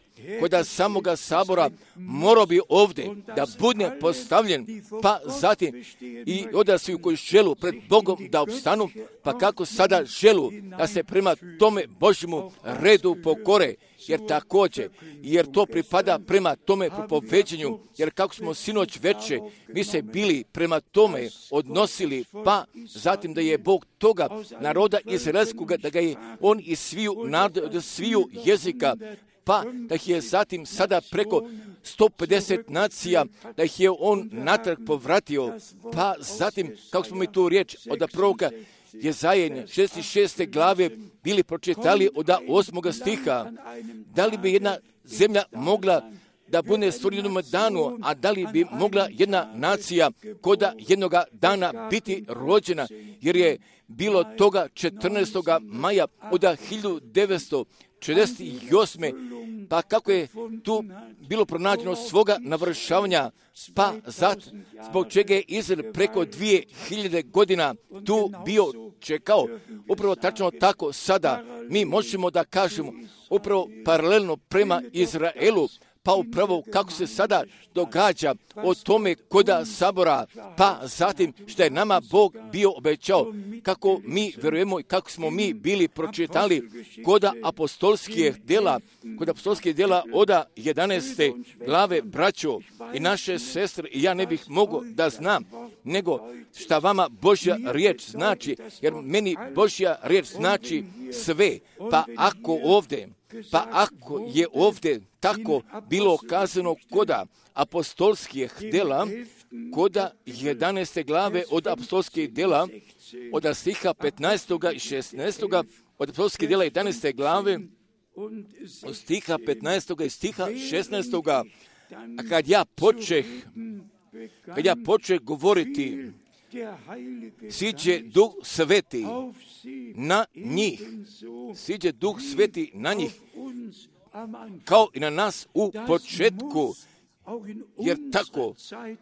kod samoga sabora morao bi ovdje da bude postavljen, pa zatim i odrasli koji želu pred Bogom da opstanu, pa kako sada želu da se prema tome Božjemu redu pokore, jer također, jer to pripada prema tome propoveđenju, jer kako smo sinoć veče, mi se bili prema tome odnosili, pa zatim da je Bog toga naroda izraelskoga, da ga je on iz sviju naroda, od sviju jezika, pa da ih je zatim sada preko sto pedeset nacija, da ih je on natrag povratio, pa zatim, kako smo mi tu riječ od proroka Jezaje šezdeset šeste glave bili pročitali od osmog stiha, da li bi jedna zemlja mogla da bude stvorena jednom danu, a da li bi mogla jedna nacija koda jednoga dana biti rođena, jer je bilo toga četrnaestog maja od hiljadu devetsto četrdeset osme pa kako je tu bilo pronađeno svoga navršavanja, pa zato zbog čega je Izrael preko dvije hiljade godina tu bio čekao. Upravo tačno tako sada mi možemo da kažemo upravo paralelno prema Izraelu, pa upravo kako se sada događa o tome koda sabora, pa zatim što je nama Bog bio obećao, kako mi vjerujemo i kako smo mi bili pročitali koda apostolskih djela, kod apostolskih djela od jedanaeste glave, braćo i naše sestre, i ja ne bih mogao da znam, nego šta vama Božja riječ znači, jer meni Božja riječ znači sve, pa ako ovdje, pa ako je ovdje tako bilo kazano koda apostolskih djela, koda jedanaeste glave od apostolskih djela, od stiha petnaestog i šesnaestog, od apostolskih djela jedanaeste glave, od stiha petnaestog i stiha šesnaestog, a kad ja počeh, kad ja počeh govoriti, siđe Duh Sveti na njih, siđe Duh Sveti na njih, kao i na nas u početku, jer tako,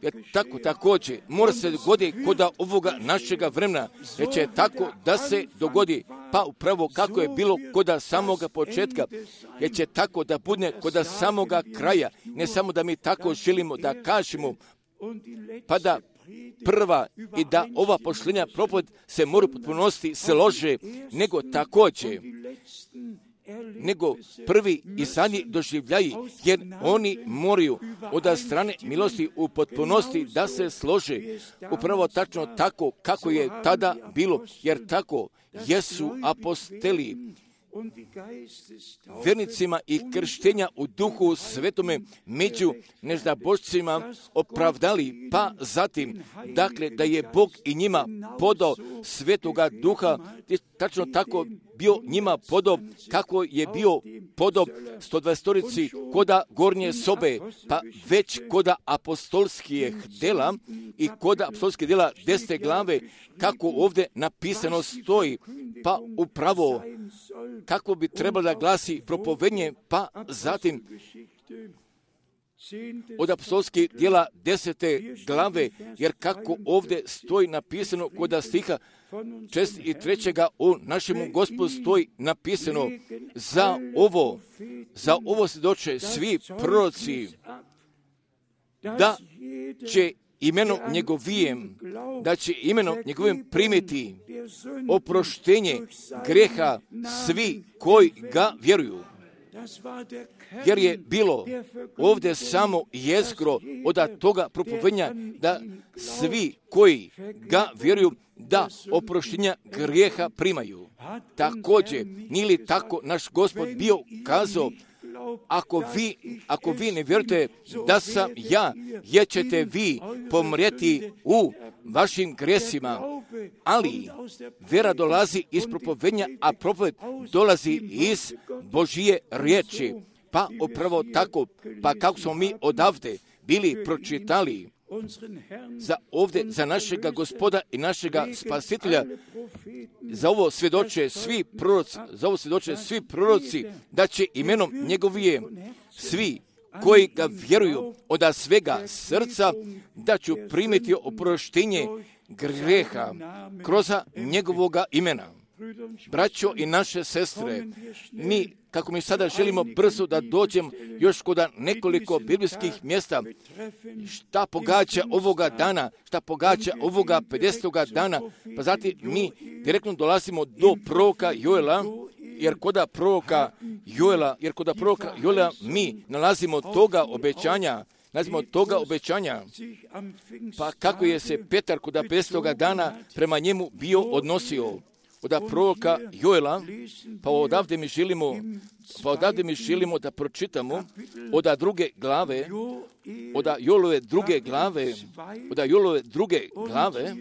jer tako također mora se dogoditi kod ovoga našega vremena, jer će tako da se dogodi, pa upravo kako je bilo kod samoga početka, jer će tako da bude kod samoga kraja, ne samo da mi tako želimo da kažemo, pa da prva i da ova pošlenja propoved se mora u potpunosti slože, nego također, nego prvi i zadnji doživljaji, jer oni moraju od strane milosti u potpunosti da se slože, upravo tačno tako kako je tada bilo, jer tako jesu apostoli, vernicima i krštenja u duhu svetome među neznabošcima opravdali, pa zatim, dakle, da je Bog i njima podao svetoga duha, tačno tako bio njima podao, kako je bio podao sto dvadesetorici koda gornje sobe, pa već koda apostolskih dela i koda apostolskih dela desete glave, kako ovdje napisano stoji, pa upravo kako bi trebalo da glasi propovednje, pa zatim od apostolskih djela desete glave, jer kako ovdje stoji napisano kod stiha šest i trećega o našemu Gospodu stoji napisano za ovo, za ovo svjedoče svi proroci, da će imenom njegovijem, da će imenom njegovim primiti oproštenje greha svi koji ga vjeruju. Jer je bilo ovdje samo jezgro od toga propovednja da svi koji ga vjeruju da oproštenja grijeha primaju. Također, nije li tako naš Gospod bio kazao, ako vi, ako vi ne vjerujete da sam ja, jer ćete vi pomrijeti u vašim gresima, ali vjera dolazi iz propovednja, a propoved dolazi iz Božije riječi. Pa upravo tako, pa kako smo mi odavde bili pročitali za ovdje, za našega Gospoda i našega Spasitelja, za ovo svjedoče svi proroci, za ovo svjedoče svi proroci, da će imenom njegovije svi koji ga vjeruju od svega srca, da ću primiti oproštenje greha kroz njegovoga imena. Braćo i naše sestre, mi, kako mi sada želimo brzo da dođem još kod nekoliko biblijskih mjesta, šta pogađa ovoga dana, šta pogađa ovoga pedesetoga dana, pa zatim mi direktno dolazimo do proroka Joela, jer koda proroka Joela, jer koda proroka Joela mi nalazimo toga obećanja, nalazimo toga obećanja, pa kako je se Petar koda pedesetoga dana prema njemu bio odnosio. Od proroka Joela, pa odavde mi želimo, pa odavde mi želimo da pročitamo od druge glave, od Joelove druge glave, od Joelove druge glave,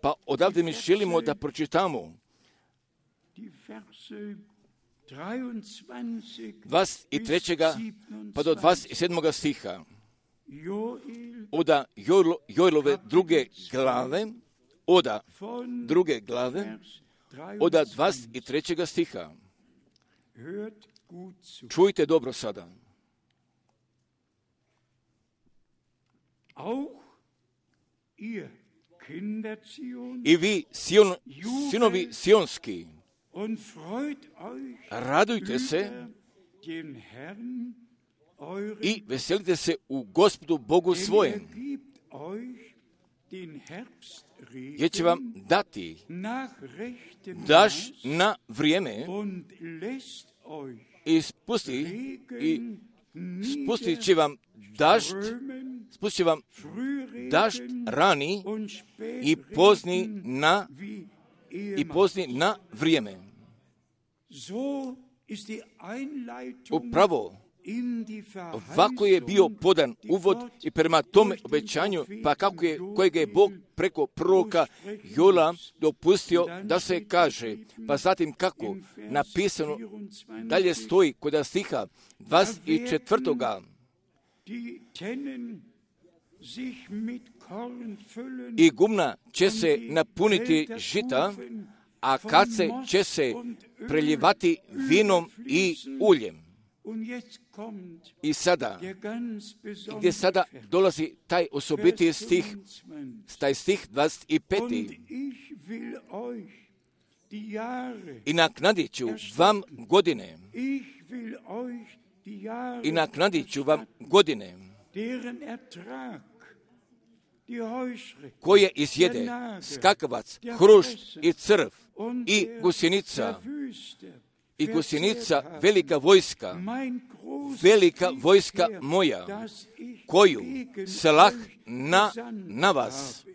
pa odavde mi želimo da pročitamo dvadeset trećega pa do dvadeset sedmoga stiha. Oda Joelove druge glave, oda druge glave, oda dvadeset trećega stiha. Čujte dobro sada. I vi, Sion, sinovi sionski, radujte se i veselite se u Gospodu Bogu svojem, jer će vam dati daš na vrijeme i spusti i spustit će vam dašt, spustit će vam dašt rani i pozni na i pozni na vrijeme. Upravo ovako je bio podan uvod i prema tome obećanju, pa kako je, kojeg je Bog preko proroka Joela dopustio da se kaže, pa zatim kako napisano dalje stoji kod stiha dvadeset četvrtoga. I gumna će se napuniti žita, a kace će se preljevati vinom i uljem. I sada, gdje sada dolazi taj osobiti stih, taj stih dvadeset peti. I naknadit ću vam godine, i naknadit ću vam godine, koje izjede skakavac, hrušt i crv i gusjenica, i gusjenica velika vojska, velika vojska moja, koju slah na, na vas.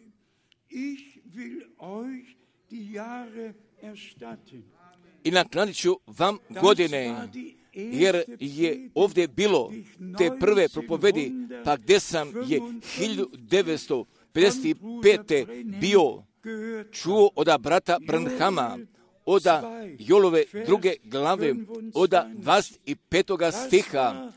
i naknadit ću vam godine, jer je ovdje bilo te prve propovedi, pa gdje sam je hiljadu devetsto pedeset pete. bio čuo od brata Branhama, od Jolove druge glave, od dvadeset petoga stiha,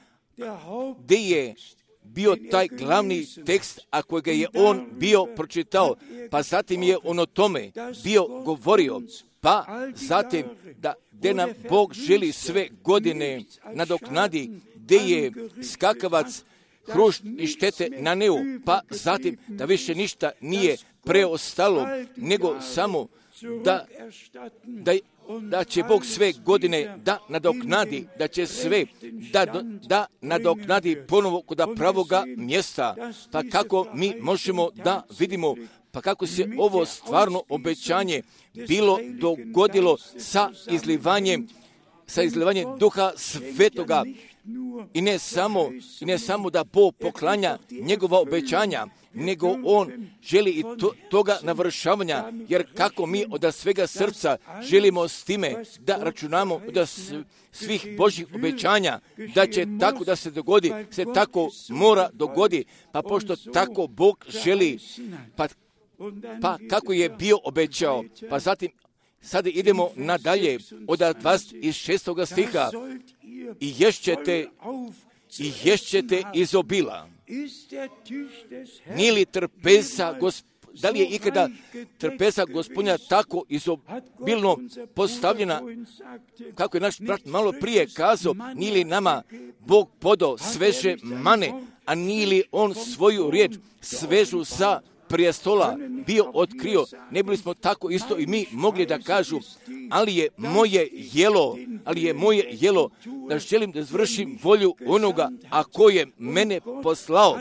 gdje je bio taj glavni tekst, a kojega je on bio pročitao, pa zatim je on o tome bio govorio, pa zatim da gdje nam Bog želi sve godine nadoknadi, gdje je skakavac, hrušt i štete na neu, pa zatim da više ništa nije preostalo, nego samo da, da, da će Bog sve godine da nadoknadi, da će sve da, da nadoknadi ponovo kod pravoga mjesta. Pa kako mi možemo da vidimo, pa kako se ovo stvarno obećanje bilo dogodilo sa izlivanjem, sa izlivanjem Duha Svetoga. I ne samo, i ne samo da Bog poklanja njegova obećanja, nego on želi i to, toga navršavanja, jer kako mi od svega srca želimo s time da računamo od svih Božjih obećanja, da će tako da se dogodi, se tako mora dogodi, pa pošto tako Bog želi, pa, pa kako je bio obećao, pa zatim sada idemo nadalje od dvadeset šestoga stiha. I ješćete, i ješćete iz obila. Nije li trpeza, gosp... da li je ikada trpeza Gospodnja tako izobilno postavljena, kako je naš brat malo prije kazao, nije li nama Bog podao sveže mane, a nije li on svoju riječ svežu sa prijestola bio otkrio, ne bili smo tako isto i mi mogli da kažu, ali je moje jelo, ali je moje jelo da želim da zvršim volju onoga, a ko je mene poslao,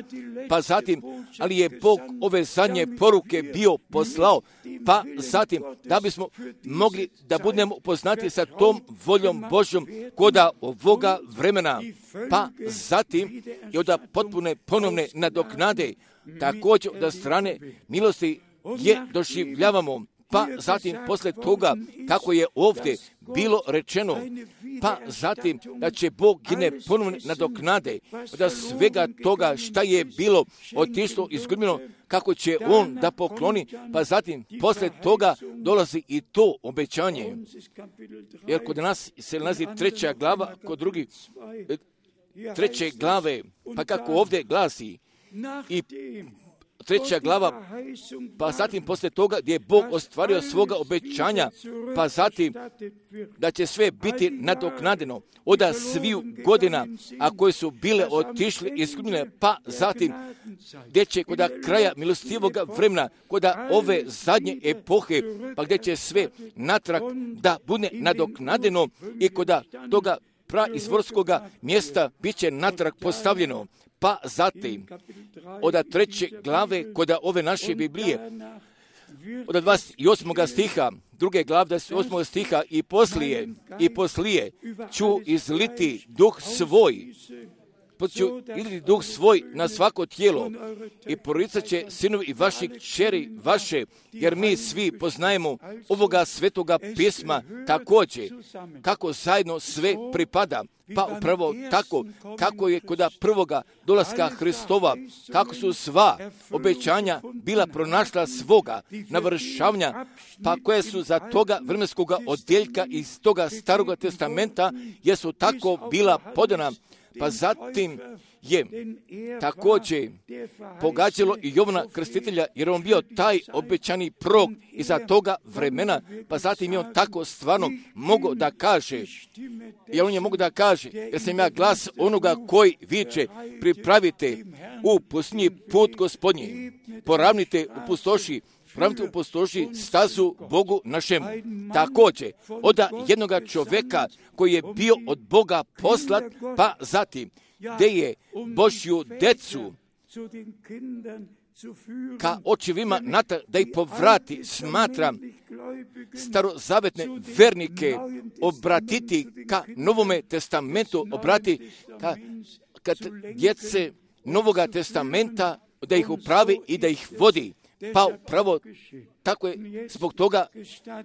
pa zatim, ali je Bog ove zadnje poruke bio poslao, pa zatim, da bismo mogli da budemo upoznati sa tom voljom Božjom koda ovoga vremena, pa zatim i od potpune ponovne nadoknade, također da strane milosti je doživljavamo, pa zatim posle toga kako je ovdje bilo rečeno, pa zatim da će Bog ne ponovno nadoknade, da svega toga šta je bilo otišlo izgubljeno, kako će on da pokloni, pa zatim posle toga dolazi i to obećanje. Jer kod nas se nalazi treća glava, kod drugi treće glave, pa kako ovdje glasi, i treća glava, pa zatim posle toga gdje je Bog ostvario svoga obećanja, pa zatim da će sve biti nadoknadeno od sviju godina, a koje su bile otišli izgubljene, pa zatim gdje će kod kraja milostivoga vremena, kod ove zadnje epohe, pa gdje će sve natrag da bude nadoknadeno i kod toga praizvorskoga mjesta bit će natrag postavljeno. Pa zatim, od treće glave kod ove naše Biblije, od dvadeset osmoga stiha, druge glave dvadeset osmoga stiha, i poslije, i poslije ću izliti duh svoj, ću izliti duh svoj na svako tijelo i proricat će sinovi i vaši kćeri vaše, jer mi svi poznajemo ovoga svetoga pisma također, kako zajedno sve pripada. Pa upravo tako, kako je kod prvoga dolaska Hristova, kako su sva obećanja bila pronašla svoga navršavanja, pa koje su za toga vremenskoga odjeljka iz toga staroga testamenta, jesu tako bila podana, pa zatim je također pogađalo i Jovana Krstitelja, jer on bio taj obećani prorok iza toga vremena, pa zatim je on tako stvarno mogao da kaže, jer on je mogao da kaže, jer sam ja glas onoga koji viče, pripravite u pustinji put Gospodnji, poravnite u pustoši, Pravite u pustoši stazu Bogu našem. Također, od jednoga čovjeka koji je bio od Boga poslat, pa zatim, gdje je Božju decu ka očevima nata da ih povrati, smatram starozavetne vernike obratiti ka Novome testamentu, obrati ka, ka djece Novoga testamenta, da ih upravi i da ih vodi. Pa upravo tako je zbog toga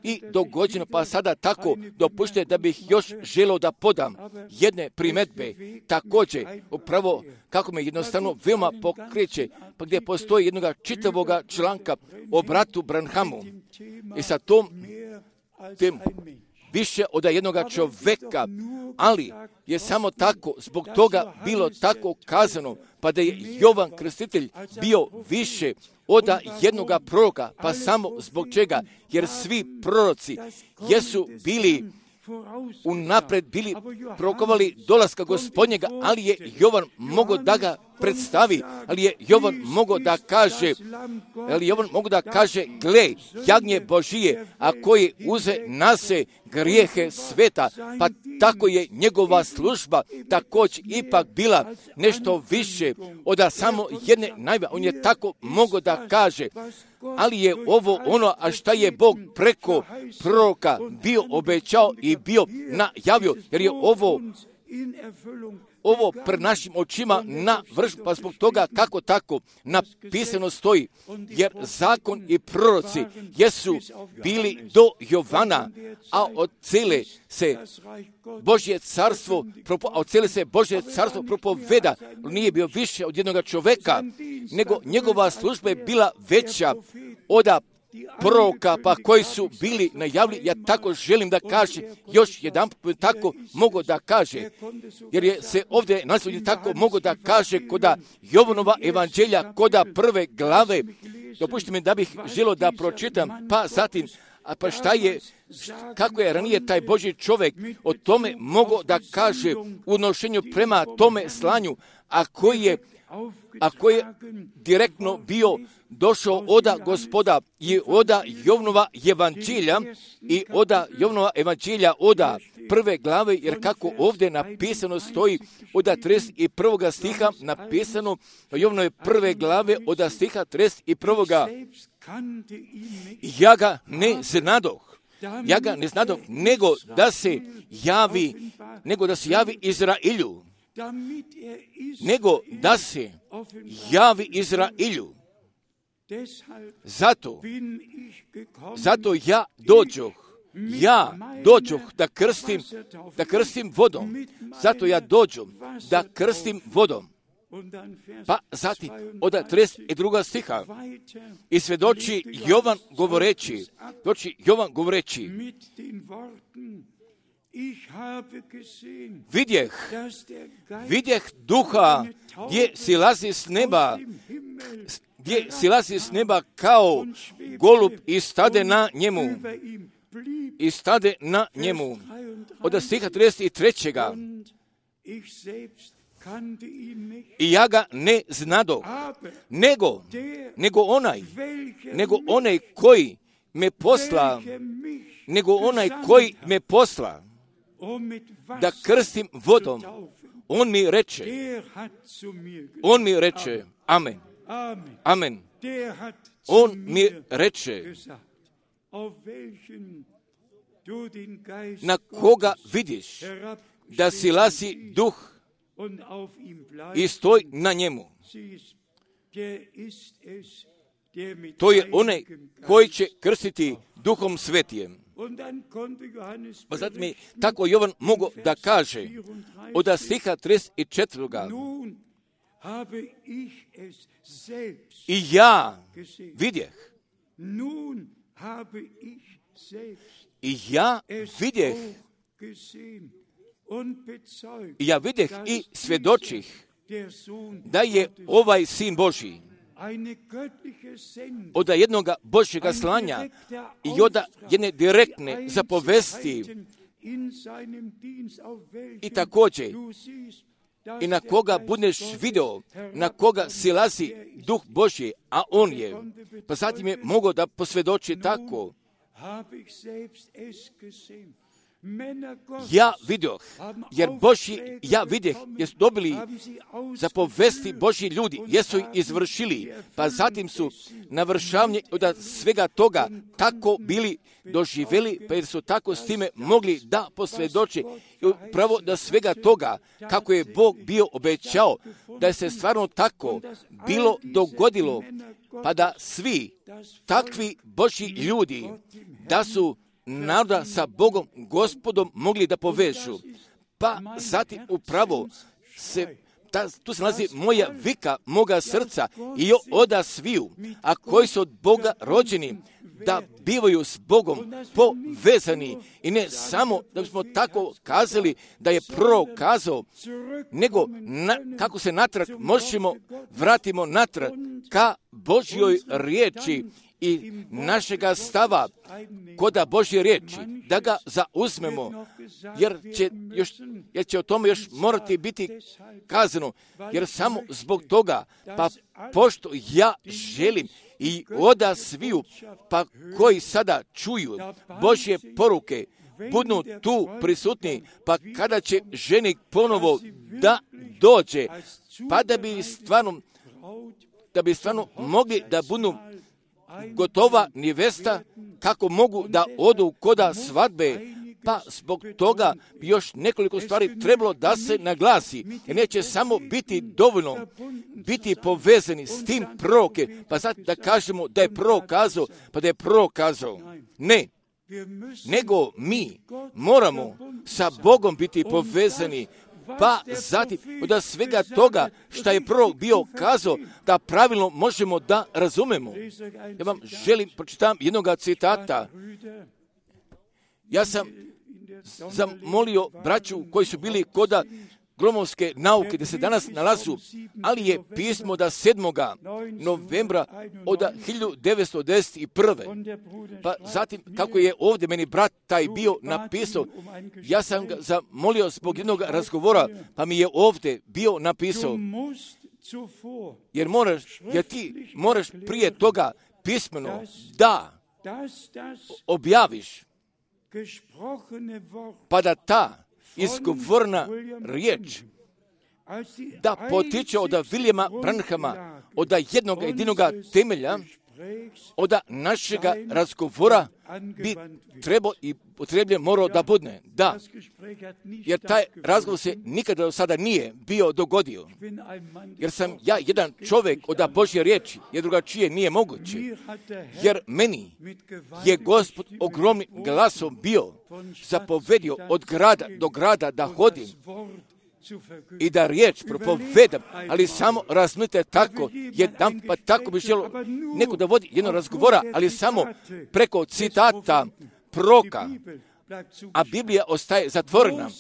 i dogođeno, pa sada tako dopušte da bih još želio da podam jedne primjedbe, također upravo kako me jednostavno veoma pokreće, pa gdje postoji jednoga čitavoga članka o bratu Branhamu i sa tom tem više od jednoga čoveka, ali je samo tako, zbog toga bilo tako kazano, pa da je Jovan Krstitelj bio više od jednoga proroka, pa samo zbog čega, jer svi proroci jesu bili unapred bili prorokovali dolaska Gospodnjega, ali je Jovan mogao da ga predstavi, ali je Jovan mogao da kaže, ali Jovan mogao da kaže, gle, jagnje Božije, a koji uze na se grijehe sveta, pa tako je njegova služba također ipak bila nešto više od samo jedne najve. On je tako mogao da kaže, ali je ovo ono, a šta je Bog preko proroka bio obećao i bio najavio, jer je ovo ovo pred našim očima na vrš, pa zbog toga kako tako napisano stoji, jer zakon i proroci jesu bili do Jovana, a od cele se Božje carstvo, a od cele se Božje carstvo propoveda, nije bio više od jednoga čoveka, nego njegova služba je bila veća od proroka, pa koji su bili najavili. Ja tako želim da kaže, još jedan put tako mogu da kaže, jer je se ovdje nasljednje tako mogu da kaže koda Jovanova evanđelja, koda prve glave. Dopušite mi da bih želio da pročitam, pa zatim, a pa šta je, kako je ranije taj Božji čovjek o tome mogao da kaže u odnošenju prema tome slanju, a koji je a koji je direktno bio došao oda Gospoda i oda Jovanova evanđelja i oda Jovanova evanđelja oda prve glave, jer kako ovdje napisano stoji oda trideset prvog stiha napisano Jovanove prve glave oda stiha trideset prvog. Ja ga ne znadoh, ja ga ne znadoh, nego da se javi, nego da se javi Izraelju, nego da se javi Izraelju. Zato, zato ja dođoh, ja dođoh da krstim, da krstim vodom. Zato ja dođom da krstim vodom. Pa zatim, od trideset drugog stiha, i svjedoči Jovan govoreći, doći Jovan govoreći, vidjeh, vidjeh duha gdje silazi s neba, gdje silazi s neba kao golub i stade na njemu. I stade na njemu. Od stiha trideset trećeg. I ja ga ne znadoh, nego, nego onaj, nego onaj koji me posla, nego onaj koji me posla, da krstim vodom, on mi reče, on mi reče, amen, amen, on mi reče, na koga vidiš da silazi duh i stoj na njemu. To je onaj koji će krstiti duhom svetijem. Pa zatim je tako Jovan mogao da kaže od stiha trideset četvrtog. I ja vidjeh, i ja vidjeh, i ja vidjeh i svjedočih da je ovaj Sin Božji od jednog Božjega slanja i od jedne direktne zapovesti i također i na koga budeš video, na koga silazi duh Božji, a on je. Pa zatim je mogao da posvjedoči tako. Ja vidio, jer Božji, ja vidjeh, jesu dobili zapovesti Božji ljudi, jesu ih izvršili, pa zatim su navršavanje od svega toga tako bili doživjeli, pa jer su tako s time mogli da posvjedoče i upravo da svega toga, kako je Bog bio obećao, da je se stvarno tako bilo dogodilo, pa da svi takvi Božji ljudi, da su naroda sa Bogom, Gospodom mogli da povežu. Pa zatim upravo se, ta, tu se nalazi moja vika, moga srca i oda sviju, a koji su od Boga rođeni, da bivaju s Bogom povezani i ne samo da bismo tako kazali da je prorok kazao, nego na, kako se natrag možemo vratimo natrag ka Božjoj riječi i našega stava koda Božje riječi, da ga zauzmemo, jer će, još, jer će o tome još morati biti kazano, jer samo zbog toga, pa pošto ja želim i oda sviju, pa koji sada čuju Božje poruke, budu tu prisutni, pa kada će ženik ponovo da dođe, pa da bi stvarno, da bi stvarno mogli da budu gotova nevesta, kako mogu da odu koda svadbe, pa zbog toga još nekoliko stvari trebalo da se naglasi. Jer neće samo biti dovoljno biti povezani s tim proroke, pa zato da kažemo da je prorok kazao, pa da je prorok kazao. Ne, nego mi moramo sa Bogom biti povezani, pa zatim od svega toga što je prorok bio kazao, da pravilno možemo da razumemo. Ja vam želim pročitam jednog citata. Ja sam zamolio braću koji su bili koda gromovske nauke, da se danas nalazu, ali je pismo da sedmoga novembra od hiljadu devetsto devedeset prve. Pa zatim, kako je ovdje meni brat taj bio napisao, ja sam ga zamolio zbog jednog razgovora, pa mi je ovdje bio napisao, jer moraš, jer ti moraš prije toga pismeno da objaviš, pa da ta izgovorna riječ da potiče od Williama Branhama, od jednog jedinoga temelja, od našega razgovora bi trebao i potrebljen morao da budne. Da, jer taj razgovor se nikada do sada nije bio dogodio. Jer sam ja jedan čovjek od Božje riječi, jer drugačije nije moguće. Jer meni je Gospod ogromnim glasom bio zapovedio od grada do grada da hodim i da riječ propovedam, ali samo razumite tako, jedan pa tako bi želo neko da vodi jedno razgovora, ali samo preko citata proroka, a Biblija ostaje zatvorena.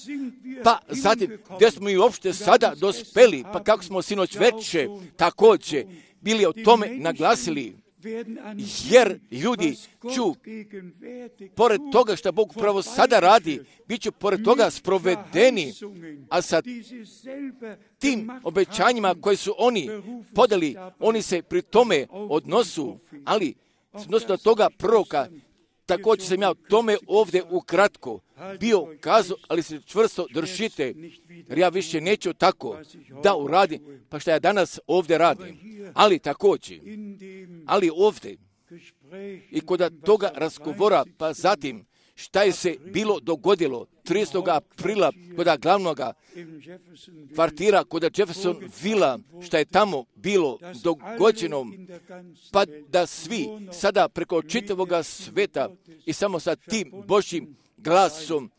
Pa zatim, gdje smo i uopšte sada dospeli, pa kako smo sinoć veče također bili o tome naglasili, jer ljudi ću, pored toga što Bog pravo sada radi, bit će pored toga sprovedeni, a sa tim obećanjima koje su oni podali, oni se pri tome odnosu, ali odnosu do toga proroka, također sam ja tome ovdje ukratko bio kazao, ali se čvrsto držite, jer ja više neću tako da uradim, pa što ja danas ovdje radim. Ali također, ali ovdje, i kod toga razgovora, pa zatim, šta je se bilo dogodilo tridesetog aprila kod glavnog kvartira, kod Jefferson Villa, šta je tamo bilo dogođeno, pa da svi sada preko čitavog sveta i samo sa tim Božjim glasom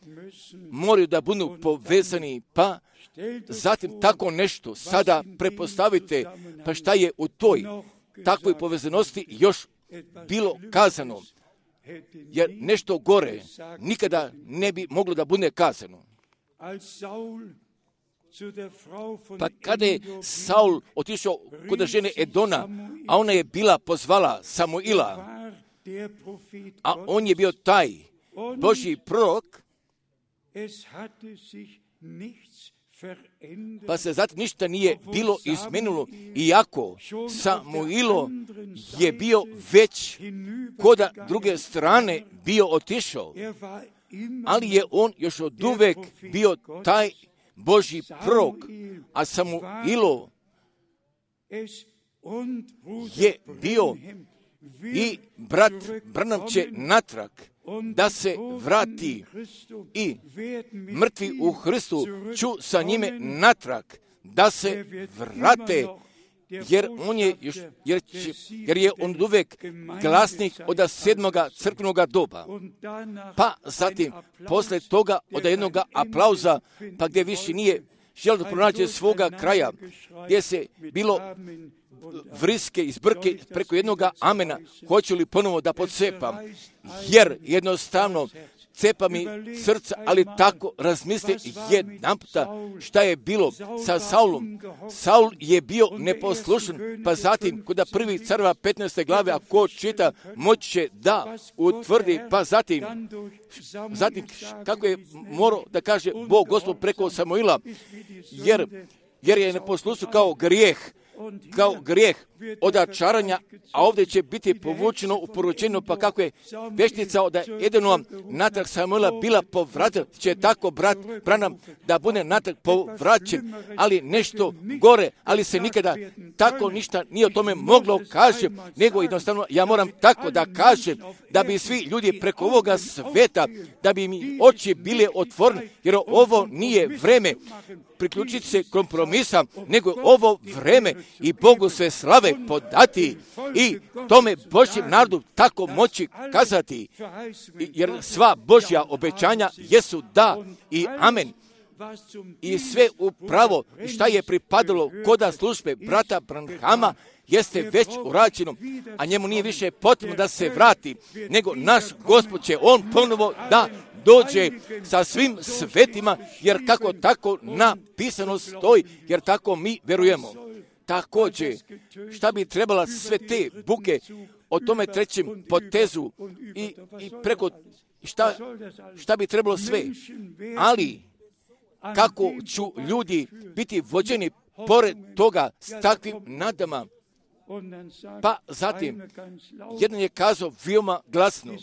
moraju da budu povezani, pa zatim tako nešto sada prepostavite, pa šta je u toj takvoj povezanosti još bilo kazano. Jer nešto gore nikada ne bi moglo da bude kazano. Pa kada je Saul otišao kod žene Edona, a ona je bila pozvala Samuila, a on je bio taj Božji prorok, pa se zato ništa nije bilo izmenilo, iako Samuilo je bio već kod druge strane bio otišao, ali je on još od uvek bio taj Božji prorok, a Samuilo je bio i brat Branham će natrag da se vrati i mrtvi u Hristu ću sa njime natrag da se vrate jer on je, još, jer, će, jer je on uvijek glasnik od sedmoga crkvenoga doba. Pa zatim, posle toga, od jednog aplauza, pa gdje više nije želio da pronađe svoga kraja, gdje se bilo vriske iz brke preko jednog amena, hoću li ponovo da podsepam, jer jednostavno cepa mi srca, ali tako razmisli jedan puta šta je bilo sa Saulom. Saul je bio neposlušan, pa zatim kod prvi careva petnaeste glave, ako čita, moći će da utvrdi, pa zatim, zatim kako je morao da kaže Bog Gospod preko Samuila, jer, jer je neposlušan kao grijeh, kao grijeh od čaranja, a ovdje će biti povučeno u poručenju, pa kako je veštica od Edenova natrag Samuela bila povratila, će tako brat Branham da bude natrag povraćen, ali nešto gore, ali se nikada tako ništa nije o tome moglo kaže, nego jednostavno ja moram tako da kažem, da bi svi ljudi preko ovoga sveta, da bi mi oči bile otvorene, jer ovo nije vreme priključiti se kompromisa, nego ovo vreme i Bogu sve slave podati i tome Božjem narodu tako moći kazati, jer sva Božja obećanja jesu da i amen. I sve upravo šta je pripadalo koda službe brata Branhama jeste već urađeno, a njemu nije više potrebno da se vrati, nego naš Gospod će on ponovo da dođe sa svim svetima, jer kako tako napisano stoji, jer tako mi verujemo. Također, šta bi trebala sve te buke o tome trećem potezu i, i preko šta, šta bi trebalo sve, ali kako ću ljudi biti vođeni pored toga s takvim nadama. Pa zatim, jedan je kazao veoma glasno,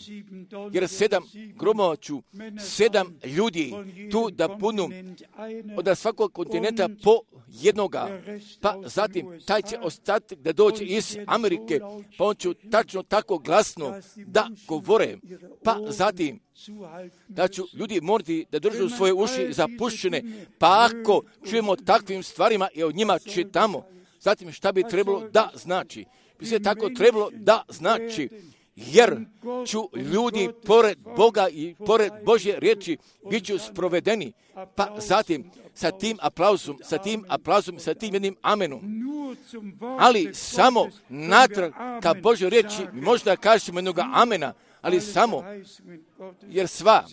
jer sedam gromova ću, sedam ljudi tu da punu od svakog kontinenta po jednoga. Pa zatim, taj će ostatak da dođe iz Amerike, pa on će tačno tako glasno da govore. Pa zatim, da ću ljudi morati da držu svoje uši zapušćene, pa ako čujemo takvim stvarima i o njima čitamo, zatim šta bi trebalo da znači? Bi se tako trebalo da znači, jer ću ljudi pored Boga i pored Božje riječi bit ću sprovedeni. Pa zatim sa tim aplauzom, sa tim aplauzom, sa tim jednim amenom. Ali samo natrag ka Božoj riječi možda kažemo jednog amena, ali samo jer sva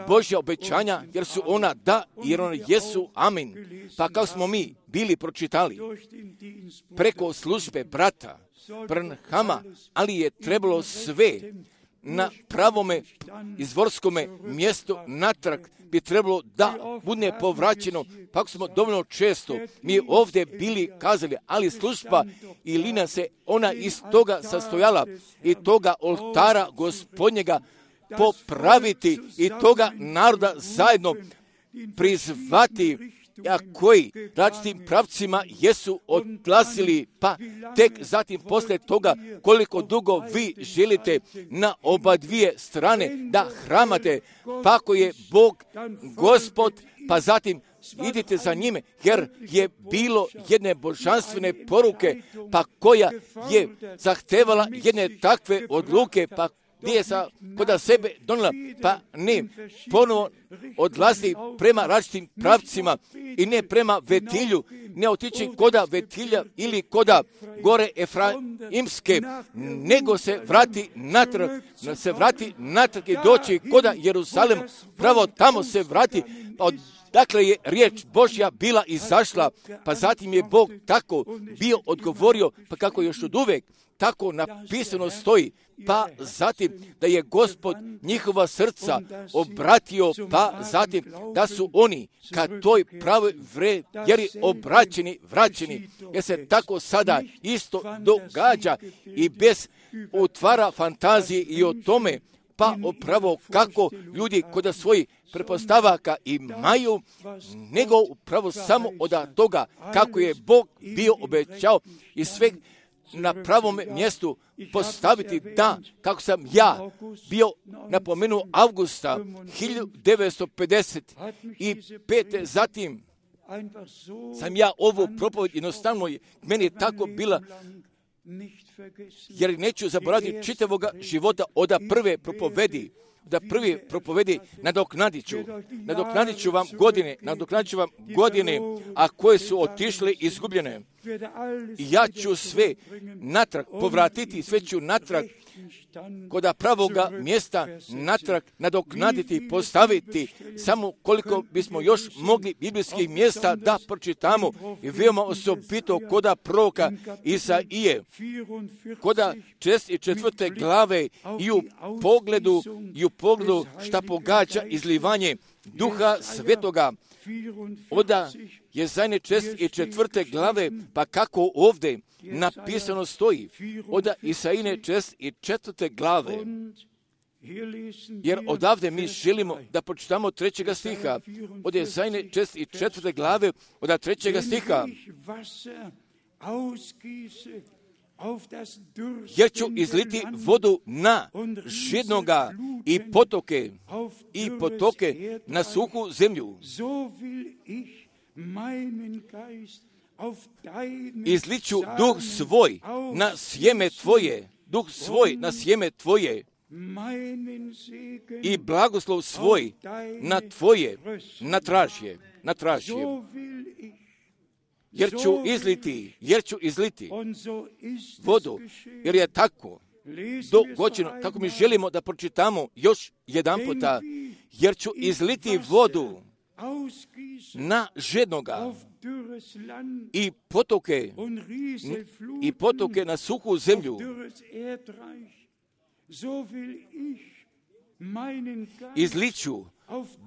Božja obećanja, jer su ona da, jer ona jesu amin. Pa kao smo mi bili pročitali preko službe brata Branhama, ali je trebalo sve na pravome izvorskome mjestu natrag bi trebalo da bude povraćeno. Pa ako smo dovoljno često mi ovdje bili kazali, ali služba i lina se ona iz toga sastojala i toga oltara Gospodnjega popraviti i toga naroda zajedno prizvati, a koji različitim pravcima jesu odglasili, pa tek zatim posle toga koliko dugo vi želite na oba dvije strane da hramate, pa ako je Bog Gospod, pa zatim idite za njime, jer je bilo jedne božanstvene poruke, pa koja je zahtevala jedne takve odluke, pa gdje je sa kod sebe donijela, pa ne ponovo odlazi prema različitim pravcima i ne prema Vetilju, ne otići koda Vetilja ili koda gore Efraimske, nego se vrati natrag, se vrati natrag i doći koda Jeruzalem, pravo tamo se vrati, od dakle je riječ Božja bila izašla, pa zatim je Bog tako bio odgovorio, pa kako još od uvek tako napisano stoji, pa zatim da je Gospod njihova srca obratio, pa zatim da su oni ka toj pravoj vjeri obraćeni, vraćeni, jer se tako sada isto događa i bez utvara fantazije i o tome, pa upravo kako ljudi kod svojih pretpostavaka imaju, nego upravo samo od toga kako je Bog bio obećao i sve na pravom mjestu postaviti, da, kako sam ja bio napomenuo avgusta hiljadu devetsto pedeset pete, zatim sam ja ovu propoved jednostavno, meni je tako bila, jer neću zaboraviti čitavoga života od prve propovedi, da prvi propovedi nadoknadit ću. Nadoknadit ću vam godine, nadoknadit ću vam godine, a koje su otišle izgubljene. I ja ću sve natrag povratiti, sve ću natrag kod pravoga mjesta natrag nadoknaditi, postaviti, samo koliko bismo još mogli biblijskih mjesta da pročitamo i veoma osobito kod proroka Isaije, kod četrdeset četvrte glave i u pogledu, i u pogledu šta pogađa izlivanje Duha Svetoga. Oda je zadnje četrdeset četvrte glave, pa kako ovdje napisano stoji, oda Isaine četrdeset četvrte glave, jer odavde mi želimo da pročitamo trećega stiha, od je zadnje četrdeset četvrte glave, od trećega stiha, jer ću izliti vodu na žednoga i potoke, i potoke na suhu zemlju. Izliću duh svoj na sjeme tvoje, duh svoj na sjeme tvoje i blagoslov svoj na tvoje, na tražje, na tražje. Jer ću izliti, jer ću izliti vodu, jer je tako dogođeno, kako mi želimo da pročitamo još jedan puta, jer ću izliti vodu na žednoga i potoke, i potoke na suhu zemlju. Izliću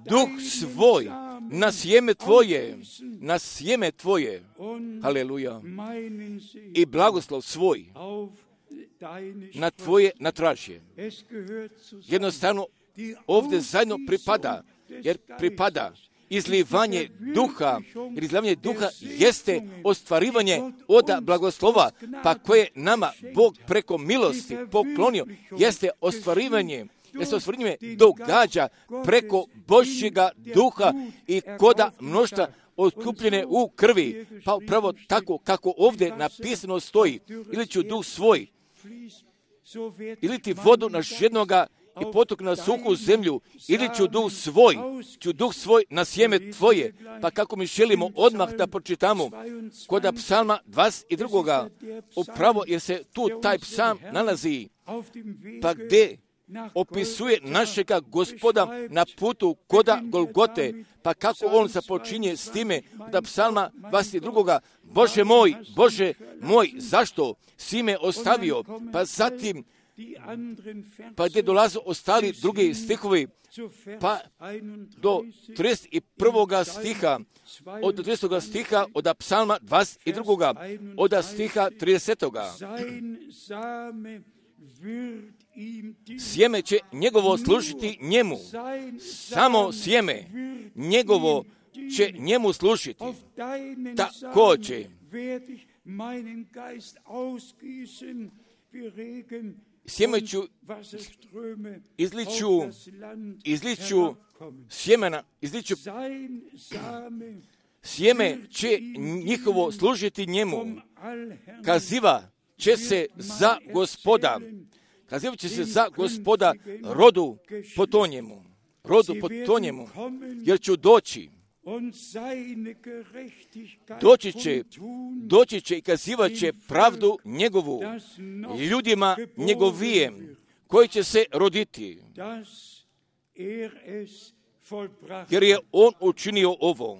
duh svoj na sjeme tvoje, na sjeme tvoje, haleluja, i blagoslov svoj na tvoje natražje. Jednostavno ovdje zajedno pripada, jer pripada izlivanje duha, jer izlivanje duha jeste ostvarivanje od blagoslova, pa koje nama Bog preko milosti poklonio, jeste ostvarivanje, jeste ostvarivanje događa preko Božjega duha i koda mnoštva otkupljene u krvi, pa upravo tako kako ovdje napisano stoji, ili ću duh svoj, ili ti vodu na žednoga i potok na suhu zemlju, ili ću duh svoj, ću duh svoj na sjeme tvoje, pa kako mi želimo odmah da pročitamo kod psalma dvadeset dva. Upravo jer se tu taj psalm nalazi, pa gdje opisuje našega Gospoda na putu koda Golgote, pa kako on započinje s time da psalma dvadeset dva. Bože moj, Bože moj, zašto si me ostavio? Pa zatim, pa gdje dolaze ostali drugi stihovi, pa do trideset prvog stiha, od tridesetog stiha od psalma dvadeset dva. od stiha tridesetog. Sjeme će njegovo služiti njemu, samo sjeme njegovo će njemu služiti. Također, sjeme ću, izliću, izliću sjemena, izliću, sjeme će njihovo služiti njemu. Kaziva će se za Gospoda, kaziva će se za Gospoda rodu po to njemu, rodu po to njemu, jer ću doći, doći će, doći će i kazivat će pravdu njegovu ljudima njegovijem, koji će se roditi, jer je on učinio ovo,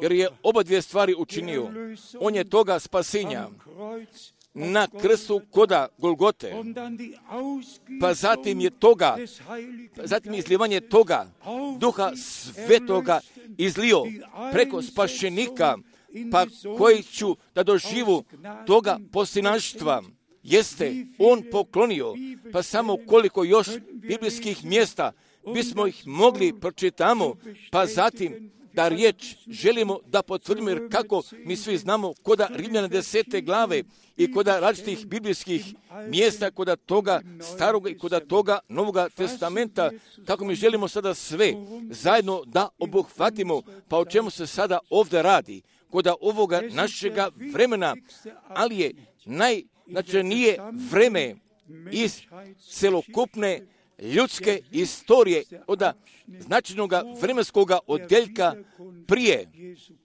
jer je oba dvije stvari učinio. On je toga spasenja na krstu koda Golgote, pa zatim je toga, pa zatim izlivanje toga Duha Svetoga izlio preko spašenika, pa koji ću da doživu toga poslinaštva, jeste on poklonio, pa samo koliko još biblijskih mjesta bismo ih mogli pročitamo, pa zatim da riječ želimo da potvrdimo, jer kako mi svi znamo koda Rimljana desete glave i koda različitih biblijskih mjesta, koda toga staroga i koda toga Novoga testamenta, kako mi želimo sada sve zajedno da obuhvatimo, pa o čemu se sada ovdje radi, koda ovoga našega vremena, ali je najznačajnije vreme iz celokupne ljudske istorije, od značajnog vremenskog odjeljka prije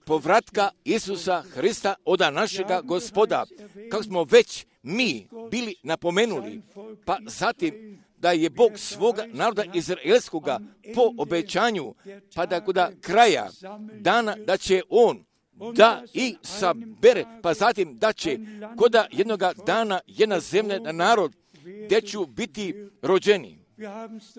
povratka Isusa Hrista, od našega Gospoda, kako smo već mi bili napomenuli, pa zatim da je Bog svoga naroda izraelskoga po obećanju, pa da kod kraja dana da će On da i sabere, pa zatim da će kod jednoga dana jedna zemlja na narod gdje ću biti rođeni.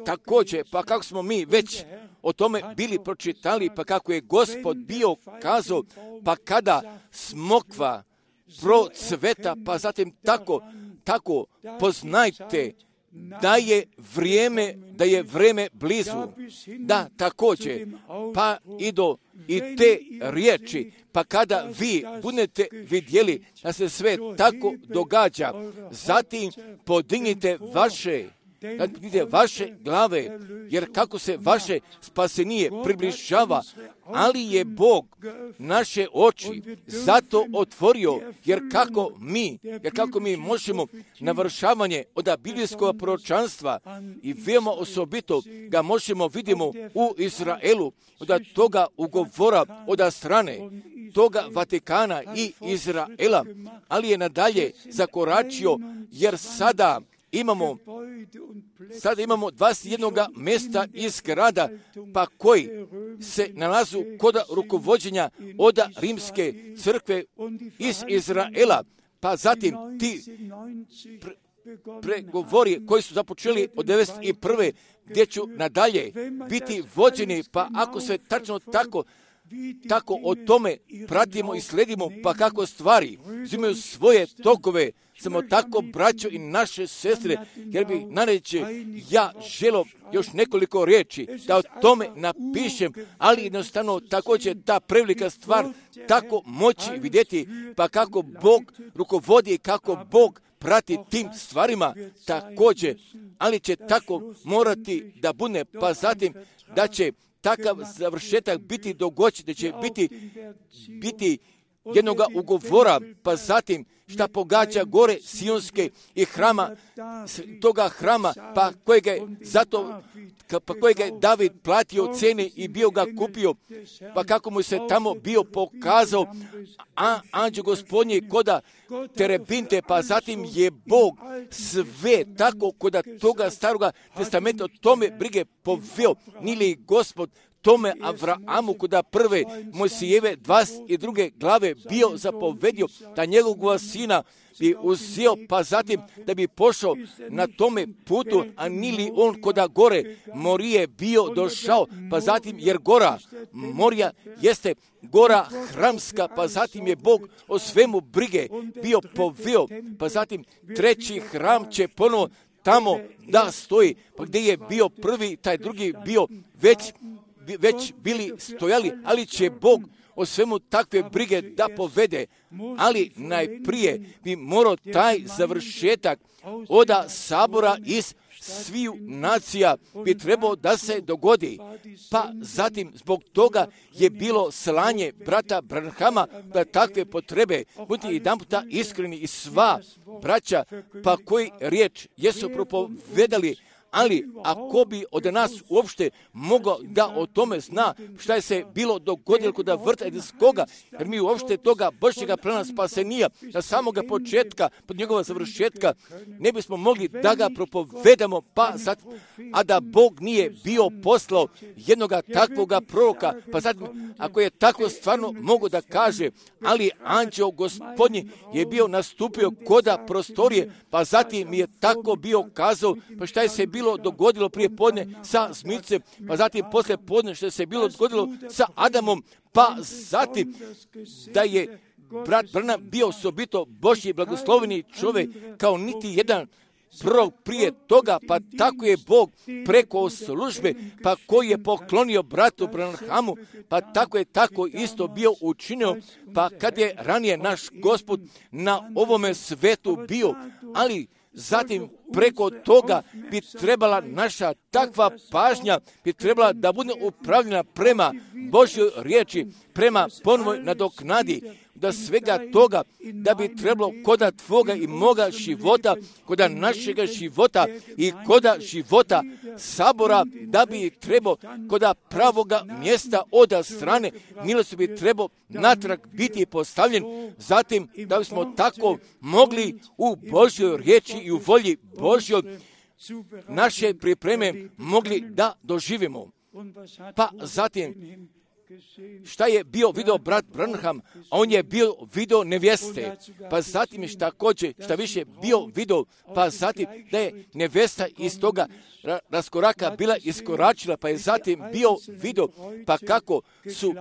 Također, pa kako smo mi već o tome bili pročitali, pa kako je Gospod bio kazao, pa kada smokva procveta, pa zatim tako, tako poznajte da je vrijeme, da je vrijeme blizu. Da, također, pa i do i te riječi, pa kada vi budete vidjeli da se sve tako događa, zatim podignite vaše da podignite vaše glave, jer kako se vaše spasenije približava, ali je Bog naše oči zato otvorio, jer kako mi, jer kako mi možemo navršavanje od biblijskog proročanstva i veoma osobito ga možemo vidimo u Izraelu, od toga ugovora od strane toga Vatikana i Izraela, ali je nadalje zakoračio, jer sada imamo sada imamo dvadeset jednog mjesta iz grada, pa koji se nalazu kod rukovođenja od rimske crkve iz Izraela, pa zatim ti pre, pregovori koji su započeli od devedeset prve gdje ću nadalje biti vođeni, pa ako se tačno tako tako o tome pratimo i sledimo, pa kako stvari uzimaju svoje tokove, samo tako, braćo i naše sestre, jer bi nareći ja želo još nekoliko riječi da o tome napišem, ali jednostavno također ta prevelika stvar tako moći vidjeti, pa kako Bog rukovodi i kako Bog prati tim stvarima također, ali će tako morati da bude, pa zatim da će takav završetak biti dogođen, da će biti, biti jednog ugovora, pa zatim šta pogađa gore Sionske i hrama, toga hrama, pa kojega je zato, pa kojega je David platio cene i bio ga kupio, pa kako mu se tamo bio pokazao, a anđeo Gospodnje koda terebinte, pa zatim je Bog sve tako koda toga staroga testamenta o tome brige poveo, nili Gospod tome Avraamu koda prve Mojsijeve dvadeset druge glave bio zapovedio da njegovog sina bi uzeo, pa zatim da bi pošao na tome putu, a nili on koda gore Morije bio došao, pa zatim jer gora Morija jeste gora hramska, pa zatim je Bog o svemu brige bio poveo, pa zatim treći hram će ponovo tamo da stoji, pa gdje je bio prvi, taj drugi bio već već bili stojali, ali će Bog o svemu takve brige da povede, ali najprije bi morao taj završetak od sabora iz sviju nacija bi trebao da se dogodi, pa zatim zbog toga je bilo slanje brata Branhama da takve potrebe, budite jedan puta iskreni i sva braća, pa koji riječ jesu propovedali, ali ako bi od nas uopšte mogao da o tome zna šta je se bilo dogodilo kod vrta Edenskoga, jer mi uopšte toga Božjega plana spasenija na samoga početka, pod njegova završetka, ne bismo mogli da ga propovedamo, pa sad, a da Bog nije bio poslao jednoga takvoga proroka, pa sad, ako je tako stvarno mogu da kaže, ali anđeo Gospodnji je bio nastupio koda prostorije, pa zatim je tako bio kazao, pa šta je se bilo dogodilo prije podne sa Smicem, pa zatim poslije podne što se bilo dogodilo sa Adamom, pa zatim da je brat Branham bio osobito Božji blagosloveni čovjek kao niti jedan prvo prije toga, pa tako je Bog preko službe, pa koji je poklonio bratu Branhamu, pa tako je tako isto bio učinio, pa kad je ranije naš Gospod na ovome svetu bio, ali zatim preko toga bi trebala naša takva pažnja, bi trebala da bude upravljena prema Božjoj riječi, prema ponovoj nadoknadi, da svega toga, da bi trebalo koda tvoga i moga života, koda našega života i koda života sabora, da bi trebalo koda pravoga mjesta od strane milosti bi trebalo natrag biti postavljen, zatim da bismo tako mogli u Božjoj riječi i u volji Božjoj naše pripreme mogli da doživimo. Pa zatim, šta je bio video brat Branham, a on je bio video nevjeste, pa zatim je također šta više bio video, pa zatim da je nevjesta iz toga raskoraka bila iskoračila, pa je zatim bio video, pa kako su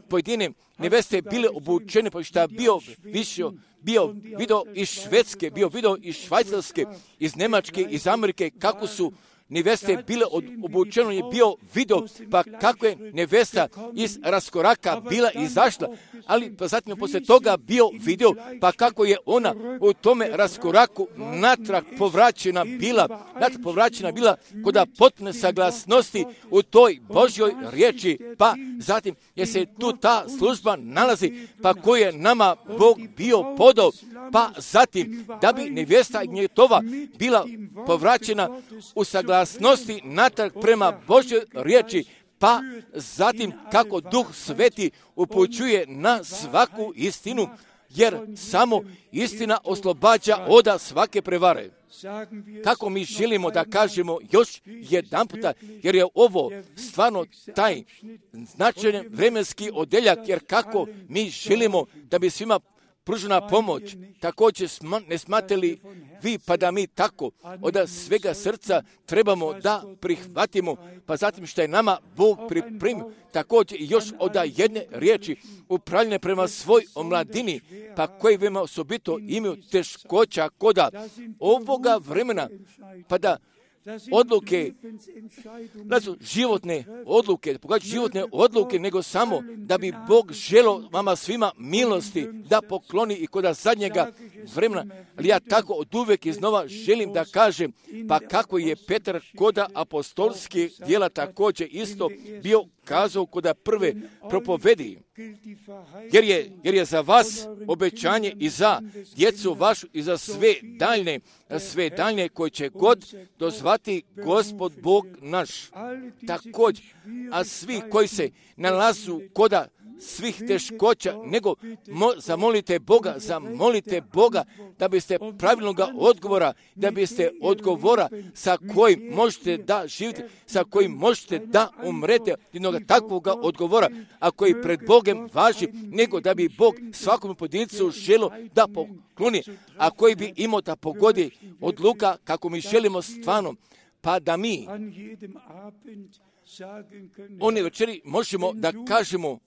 pojedine nevjeste bile obučene, pa šta bio više, bio video iz Švedske, bio video iz Švajcarske, iz Njemačke, iz Amerike, kako su neveste bile obučeno, je bio video, pa kako je nevesta iz raskoraka bila izašla, ali pa zatim je poslije toga bio video, pa kako je ona u tome raskoraku natrag povraćena bila, natrag povraćena bila kod potpune saglasnosti u toj Božjoj riječi, pa zatim je se tu ta služba nalazi, pa koju je nama Bog bio podao, pa zatim da bi nevjesta Gnjetova bila povraćena u saglasnosti natrag prema Božjoj riječi, pa zatim kako Duh Sveti upućuje na svaku istinu, jer samo istina oslobađa od svake prevare. Kako mi želimo da kažemo još jedan puta, jer je ovo stvarno taj značajan vremenski odeljak, jer kako mi želimo da bi svima pružena pomoć, također ne smatrali vi pa da mi tako od svega srca trebamo da prihvatimo, pa zatim što je nama Bog pripremio, također i još od jedne riječi upravljene prema svoj omladini, pa koji veoma osobito imaju teškoća koda ovoga vremena, pa da odluke, da su životne odluke, pogađaju životne odluke, nego samo da bi Bog želio vama svima milosti da pokloni i kod zadnjega vremena. Ali ja tako od uvijek iznova želim da kažem, pa kako je Petar kod apostolskih djela također isto bio kazao kod prve propovedi, jer je, jer je za vas obećanje i za djecu vašu i za sve daljne, sve daljne koje će god dozvati Gospod Bog naš. Također, a svi koji se nalazu koda svih teškoća, nego mo, zamolite Boga, zamolite Boga da biste pravilnog odgovora, da biste odgovora sa kojim možete da živite, sa kojim možete da umrete, jednog takvog odgovora, a koji pred Bogom važi, nego da bi Bog svakom pojedincu želio da pokloni, a koji bi imao da pogodi odluka kako mi želimo stvarno, pa da mi one večeri možemo da kažemo,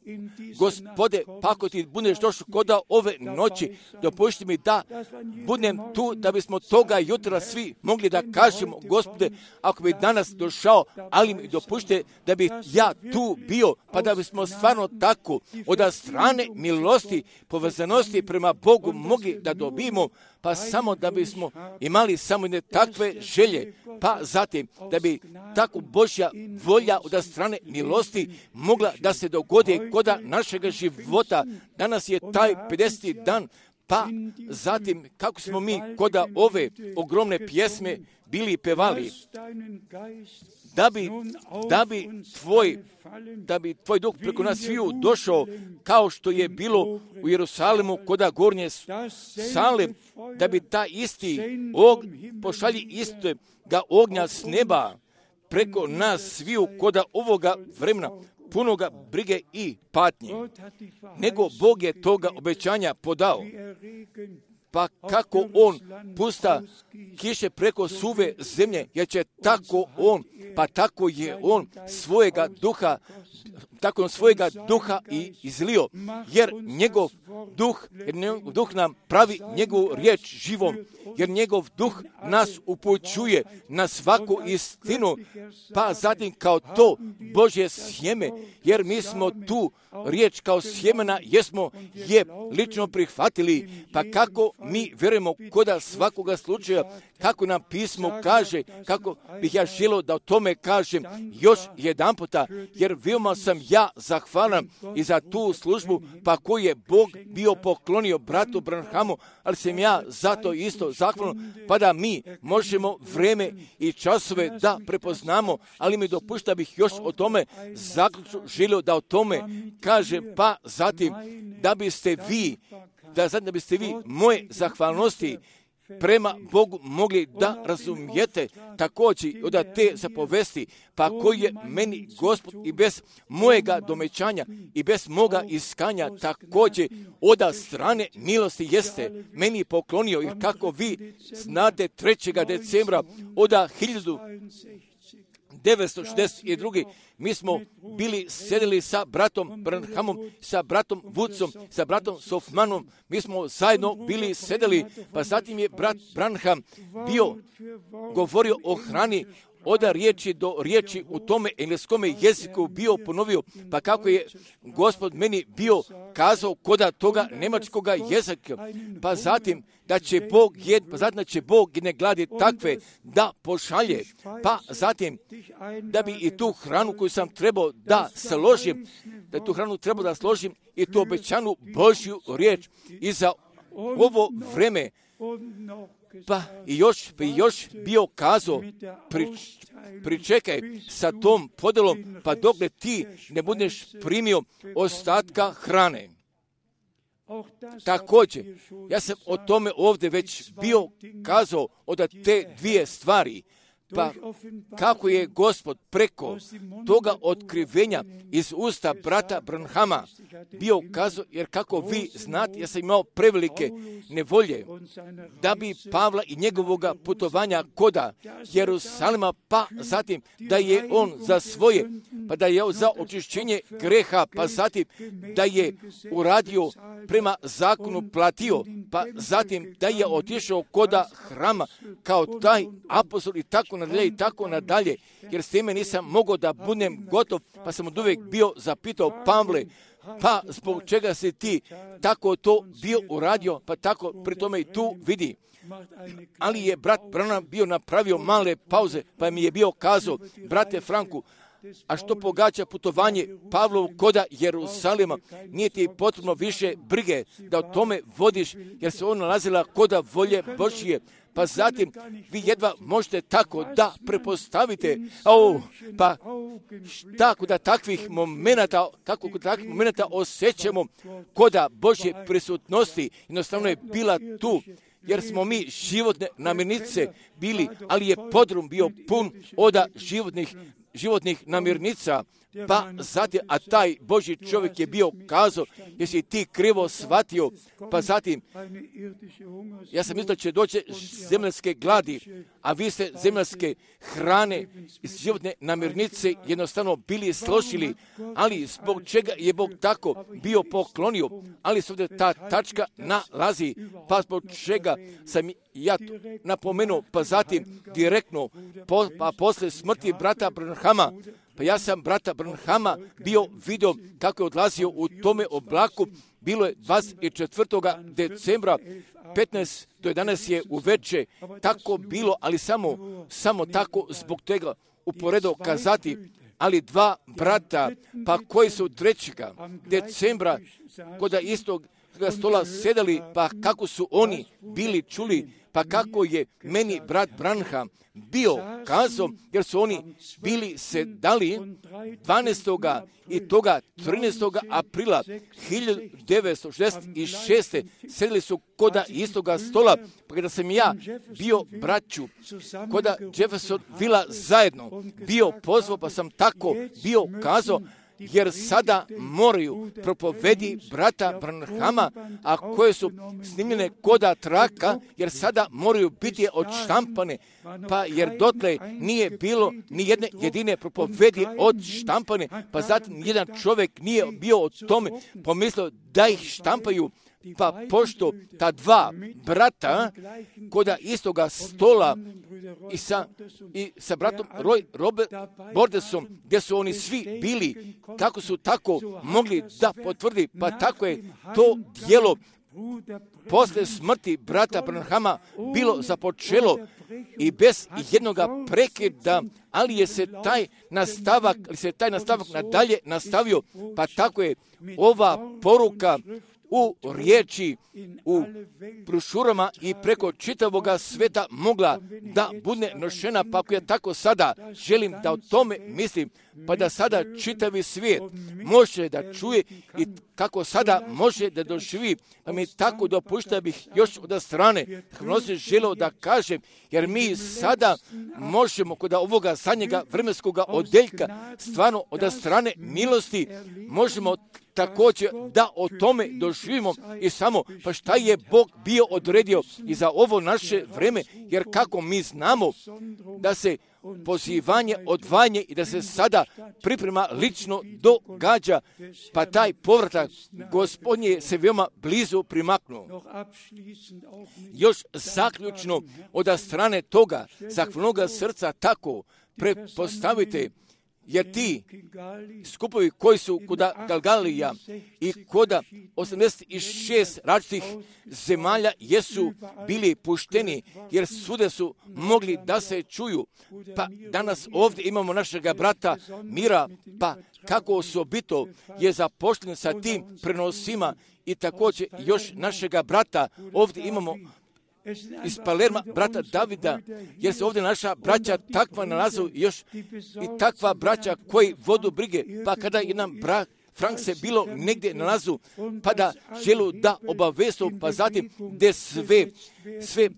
Gospode, pa ako ti budeš došao koda ove noći, dopušti mi da budem tu, da bismo toga jutra svi mogli da kažemo, Gospode, ako bi danas došao, ali mi dopušte da bi ja tu bio, pa da bismo stvarno tako od strane milosti, povezanosti prema Bogu mogli da dobijemo, pa samo da bismo imali samo ne takve želje, pa zatim da bi tako Božja volja od strane milosti mogla da se dogodi kod našega života. Danas je taj pedeseti dan, pa zatim kako smo mi kod ove ogromne pjesme bili pevali, da bi, da bi tvoj da bi tvoj duh preko nas sviju došao kao što je bilo u Jerusalimu koda gornje sale, da bi ta isti og, pošalji isto ga ognja s neba preko nas sviju koda ovoga vremena punoga brige i patnje. Nego Bog je toga obećanja podao. Pa kako on pusta kiše preko suve zemlje, jer će tako on, pa tako je on svojega duha tako svojega duha i izlio, jer njegov duh, jer njegov duh nam pravi njegovu riječ živom, jer njegov duh nas upućuje na svaku istinu, pa zatim kao to Božje sjeme, jer mi smo tu riječ kao sjemena, jesmo je lično prihvatili, pa kako mi vjerujemo koda svakoga slučaja, kako nam pismo kaže, kako bih ja želio da o tome kažem još jedan puta, jer veoma sam ja zahvalan i za tu službu, pa koju je Bog bio poklonio bratu Branhamu, ali sam ja zato isto zahvalan, pa da mi možemo vreme i časove da prepoznamo, ali mi dopušta bih još o tome zaključno želio da o tome kažem, pa zatim da biste vi, da zatim da biste vi moje zahvalnosti prema Bogu mogli da razumijete također od te zapovesti, pa koji je meni Gospod i bez mojega domećanja i bez moga iskanja također od strane milosti jeste meni poklonio, jer kako vi znate trećeg decembra od hiljadu devetsto šezdeset druge. mi smo bili sedeli sa bratom Branhamom, sa bratom Woodsom, sa bratom Sofmanom, mi smo zajedno bili sedeli, pa zatim je brat Branham bio govorio o hrani, od riječi do riječi u tome engleskome jeziku bio ponovio, pa kako je Gospod meni bio kazao koda toga njemačkoga jezika, pa zatim da će Bog jed, pa zatim da će Bog jedne gladi takve da pošalje, pa zatim da bi i tu hranu koju sam trebao da složim, da tu hranu trebao da složim i tu obećanu Božju riječ i za ovo vreme. Pa i još bi još bio kazao, pri, pričekaj sa tom podelom, pa dokle ti ne budeš primio ostatka hrane. Također, ja sam o tome ovdje već bio kazao od te dvije stvari, pa kako je Gospod preko toga otkrivenja iz usta brata Branhama bio kazao, jer kako vi znate, ja sam imao prevelike nevolje da bi Pavla i njegovoga putovanja koda Jerusalima, pa zatim da je on za svoje, pa da je za očišćenje greha, pa zatim da je uradio prema zakonu platio, pa zatim da je otišao koda hrama kao taj apostol i tako nadalje i tako nadalje, jer s time nisam mogao da budem gotov, pa sam od uvijek bio zapitao Pavle, pa zbog čega si ti tako to bio uradio, pa tako pri tome i tu vidi. Ali je brat Branham bio napravio male pauze, pa mi je bio kazao, brate Franku, a što pogađa putovanje Pavlovu koda Jerusalima, nije ti potrebno više brige da o tome vodiš, jer se on nalazila koda volje Božje. Pa zatim vi jedva možete tako da prepostavite, oh, pa tako da takvih momenata, kako da takvih momenata osjećamo koda Božje prisutnosti, jednostavno je bila tu, jer smo mi životne namirnice bili, ali je podrum bio pun od životnih životnih namirnica, pa zatim, a taj Božji čovjek je bio kazao, jesi ti krivo shvatio, pa zatim, ja sam mislio da će doći zemljske gladi, a vi ste zemljske hrane iz životne namirnice jednostavno bili složili, ali zbog čega je Bog tako bio poklonio, ali se ovdje ta tačka nalazi, pa zbog čega sam ja napomenuo, pa zatim direktno, po, pa posle smrti brata Branhama, pa ja sam brata Branhama bio vidio kako je odlazio u tome oblaku, bilo je dvadeset četvrtog decembra, petnaest do jedanaest je uveče, tako bilo, ali samo, samo tako zbog toga uporedo kazati, ali dva brata, pa koji su trećega decembra kod istog stola sedeli, pa kako su oni bili čuli, pa kako je meni brat Branham bio kazao, jer su oni bili sedali dvanaestog i toga trinaestog aprila hiljadu devetsto šezdeset šeste sedeli su koda istoga stola, pa kada sam ja bio braću koda Jefferson Villa zajedno bio pozvao, pa sam tako bio kazao, jer sada moraju propovedi brata Branhama, a koje su snimljene koda traka, jer sada moraju biti odštampane, pa jer dotle nije bilo ni jedne jedine propovedi odštampane, pa zatim jedan čovjek nije bio o tome pomislio da ih štampaju. Pa pošto ta dva brata koda istoga stola i sa, i sa bratom Roy Robert Bordesom, gdje su oni svi bili, kako su tako mogli da potvrdi, pa tako je to djelo posle smrti brata Branhama bilo započelo i bez jednoga prekida, ali je se taj nastavak, ali se taj nastavak nadalje nastavio, pa tako je ova poruka u riječi, u brošurama i preko čitavoga sveta mogla da bude nošena, pa ako ja tako sada želim da o tome mislim, pa da sada čitavi svijet može da čuje i kako sada može da doživi, pa mi tako dopušta bih još od strane Hnosi želeo da kažem, jer mi sada možemo kod ovoga zadnjega vremenskoga odeljka stvarno od strane milosti možemo također da o tome doživimo i samo pa šta je Bog bio odredio i za ovo naše vreme, jer kako mi znamo da se pozivanje, odvajanje i da se sada priprema lično događa, pa taj povratak Gospodnje se veoma blizu primaknuo. Još zaključno od strane toga, zahvalnoga srca tako prepostavite, jer ti skupovi koji su kuda Galgalija i kuda osamdeset šest različitih zemalja jesu bili pušteni, jer svuda su mogli da se čuju. Pa danas ovdje imamo našega brata Mira, pa kako osobito je zapošljen sa tim prenosima i također još našega brata ovdje imamo iz Palerma, brata Davida, jer se ovdje naša braća takva nalazu još i takva braća koji vodu brige, pa kada jedan brat Frank se bilo negdje nalazu, pa da želu da obavestu, pa zatim gdje sve, sve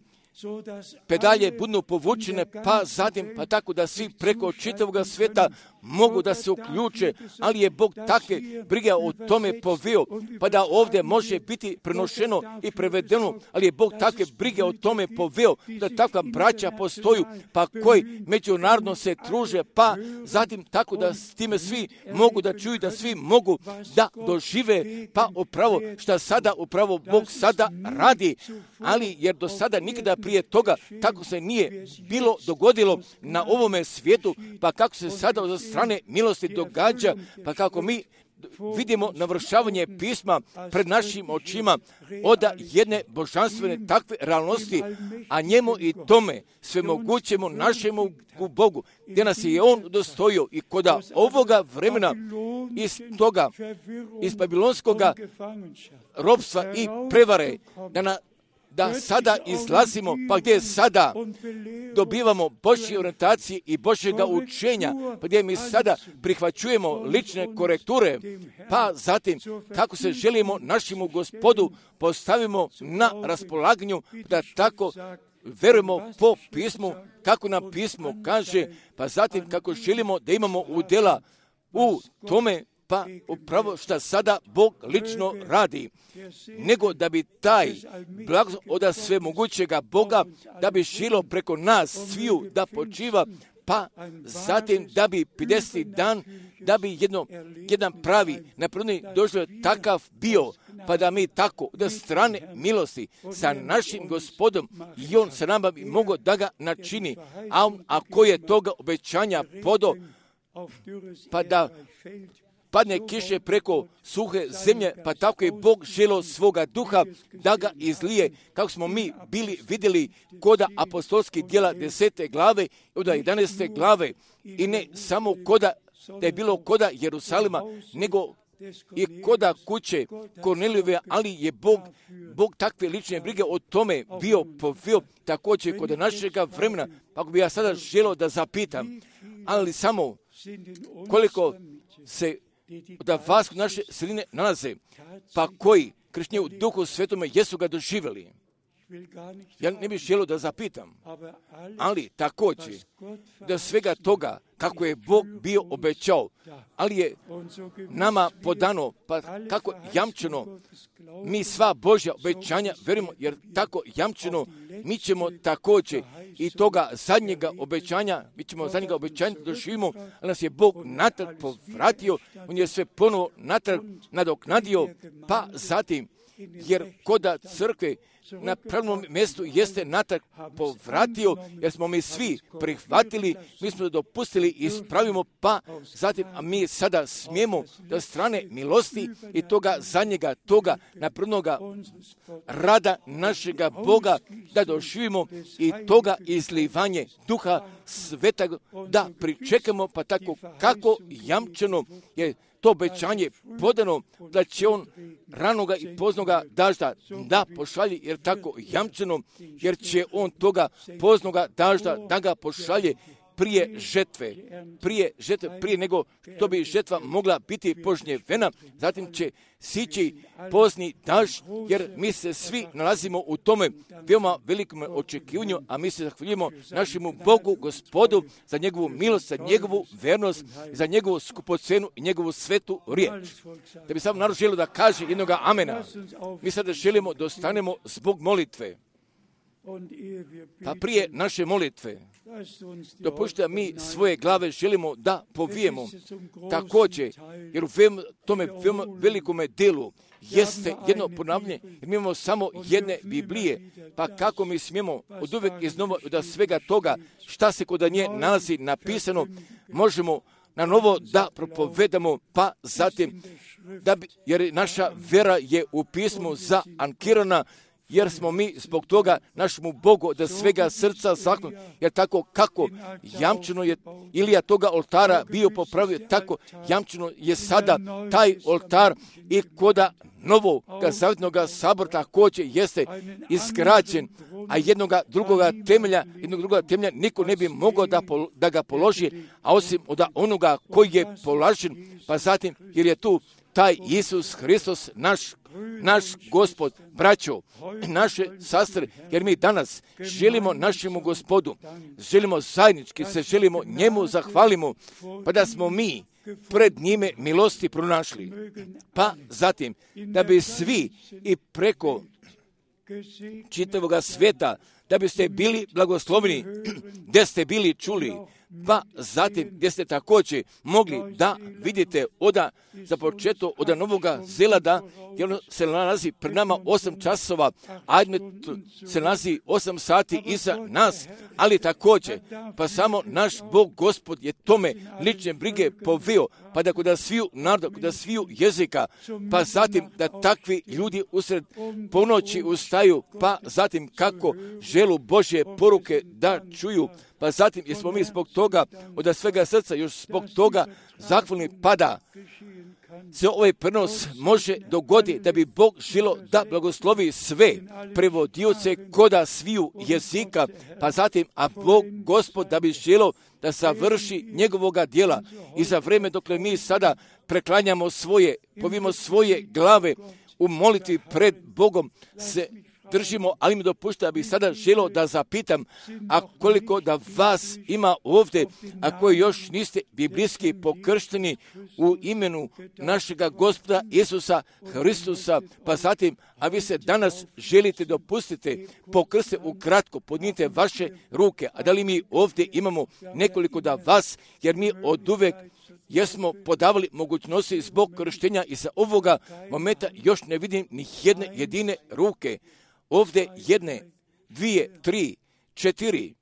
pedalje budu povučene, pa zatim, pa tako da svi preko čitavog svijeta mogu da se uključe, ali je Bog takve brige o tome poveo, pa da ovdje može biti prenošeno i prevedeno, ali je Bog takve brige o tome poveo, da takva braća postoju, pa koji međunarodno se truže, pa zatim tako da s time svi mogu da čuju, da svi mogu da dožive, pa upravo šta sada upravo Bog sada radi, ali jer do sada nikada prije toga tako se nije bilo dogodilo na ovome svijetu, pa kako se sada od strane milosti događa, pa kako mi vidimo navršavanje pisma pred našim očima od jedne božanstvene takve realnosti, a njemu i tome svemogućemu našemu Bogu, gdje nas je On dostojio i koda ovoga vremena iz toga, iz babilonskoga ropstva i prevare, da na da sada izlazimo, pa gdje sada dobivamo Božje orijentacije i Božjega učenja, pa gdje mi sada prihvaćujemo lične korekture, pa zatim kako se želimo našemu Gospodu postavimo na raspolaganju, da tako verujemo po pismu, kako nam pismo kaže, pa zatim kako želimo da imamo udjela u tome, pa upravo što sada Bog lično radi, nego da bi taj blagoslov od svemogućega Boga, da bi šilo preko nas sviju da počiva, pa zatim da bi pedeseti dan, da bi jedno, jedan pravi napravljeni doživljaj takav bio, pa da mi tako od strane milosti sa našim Gospodom i On sa nama bi mogao da ga načini, a on ako je toga obećanja podo, pa da padne kiše preko suhe zemlje, pa tako je Bog želio svoga duha da ga izlije, kako smo mi bili vidjeli koda apostolskih djela desete glave, od jedanaeste glave, i ne samo koda, da je bilo koda Jerusalima, nego i koda kuće Kornelijeve, ali je Bog, Bog takve lične brige o tome bio poveo također kod našega vremena, pa bi ja sada želio da zapitam, ali samo koliko se da vas u naše sredine nalaze, pa koji kršćani u Duhu Svetome jesu ga doživjeli. Ja ne bih želio da zapitam, ali također da svega toga kako je Bog bio obećao, ali je nama podano, pa kako jamčeno, mi sva Božja obećanja verimo, jer tako jamčeno mi ćemo također i toga zadnjega obećanja, mi ćemo zadnjega obećanja doživimo, ali nas je Bog natrag povratio, on je sve ponovo natrag nadoknadio, pa zatim, jer koda crkve na pravilnom mjestu jeste natrag povratio, jer smo mi svi prihvatili, mi smo dopustili i ispravimo, pa zatim, a mi sada smijemo da strane milosti i toga zadnjega, toga napravnoga rada našega Boga, da doživimo i toga izlivanje Duha Svetog, da pričekamo, pa tako kako jamčeno je to obećanje podano, da će on ranoga i poznoga dažda da pošalje, jer tako jamčeno, jer će on toga poznoga dažda da ga pošalje prije žetve, prije žetve, prije nego što bi žetva mogla biti požnjevena, zatim će sići pozni dažd, jer mi se svi nalazimo u tome veoma velikom očekivanju, a mi se zahvaljujemo našemu Bogu, Gospodu, za njegovu milost, za njegovu vernost, za njegovu skupocenu i njegovu svetu riječ. Da bi samo narod želio da kaže jednoga amena. Mi sada želimo da ostanemo zbog molitve. Pa prije naše molitve, dopustite mi svoje glave želimo da povijemo također, jer u tome velikome delu jeste jedno ponavljanje, jer mi imamo samo jedne Biblije, pa kako mi smijemo od uvijek iznova da svega toga šta se kod nje nalazi napisano, možemo na novo da propovedamo, pa zatim, da bi, jer naša vera je u pismu zaankirana, jer smo mi zbog toga našemu Bogu da svega srca zahvalni, jer tako kako jamčeno je Ilija toga oltara bio popravio, tako jamčeno je sada taj oltar i koda novog zavjetnog sabora također jeste izgrađen, a jednoga drugoga temelja, jednog drugoga temelja niko ne bi mogao da, pol, da ga položi, a osim od onoga koji je položen, pa zatim jer je tu taj Isus Hristos, naš, naš Gospod, braćo, naše sestre, jer mi danas želimo našemu Gospodu, želimo zajednički se, želimo njemu zahvalimo, pa da smo mi pred njime milosti pronašli. Pa zatim, da bi svi i preko čitavoga sveta, da biste bili blagosloveni, gdje ste bili čuli, pa zatim gdje ste također mogli da vidite oda za početo od Novoga Zelanda, jer se nalazi pred nama osam časova, Admet se nalazi osam sati iza nas, ali također, pa samo naš Bog Gospod je tome lične brige poveo, pa da kod sviju naroda, kod sviju jezika, pa zatim da takvi ljudi usred ponoći ustaju, pa zatim kako želu Božje poruke da čuju, pa zatim jesmo mi zbog toga, od svega srca još zbog toga zahvalni, pada se ovaj prenos može dogoditi da bi Bog želo da blagoslovi sve prevodioce koda sviju jezika, pa zatim, a Bog Gospod da bi želo da završi njegovoga djela i za vrijeme dokle mi sada preklanjamo svoje, povimo svoje glave u molitvi pred Bogom se držimo, ali mi dopušta da bih sada želio da zapitam, a koliko da vas ima ovdje, a koji još niste biblijski pokršteni u imenu našega Gospoda Isusa Hristusa, pa zatim, a vi se danas želite dopustiti, pokrste ukratko, podnijete vaše ruke, a da li mi ovdje imamo nekoliko da vas, jer mi od uvek jesmo podavali mogućnosti zbog krštenja i za ovoga momenta još ne vidim ni jedne jedine ruke. Ovdje jedne, dvije, tri, četiri.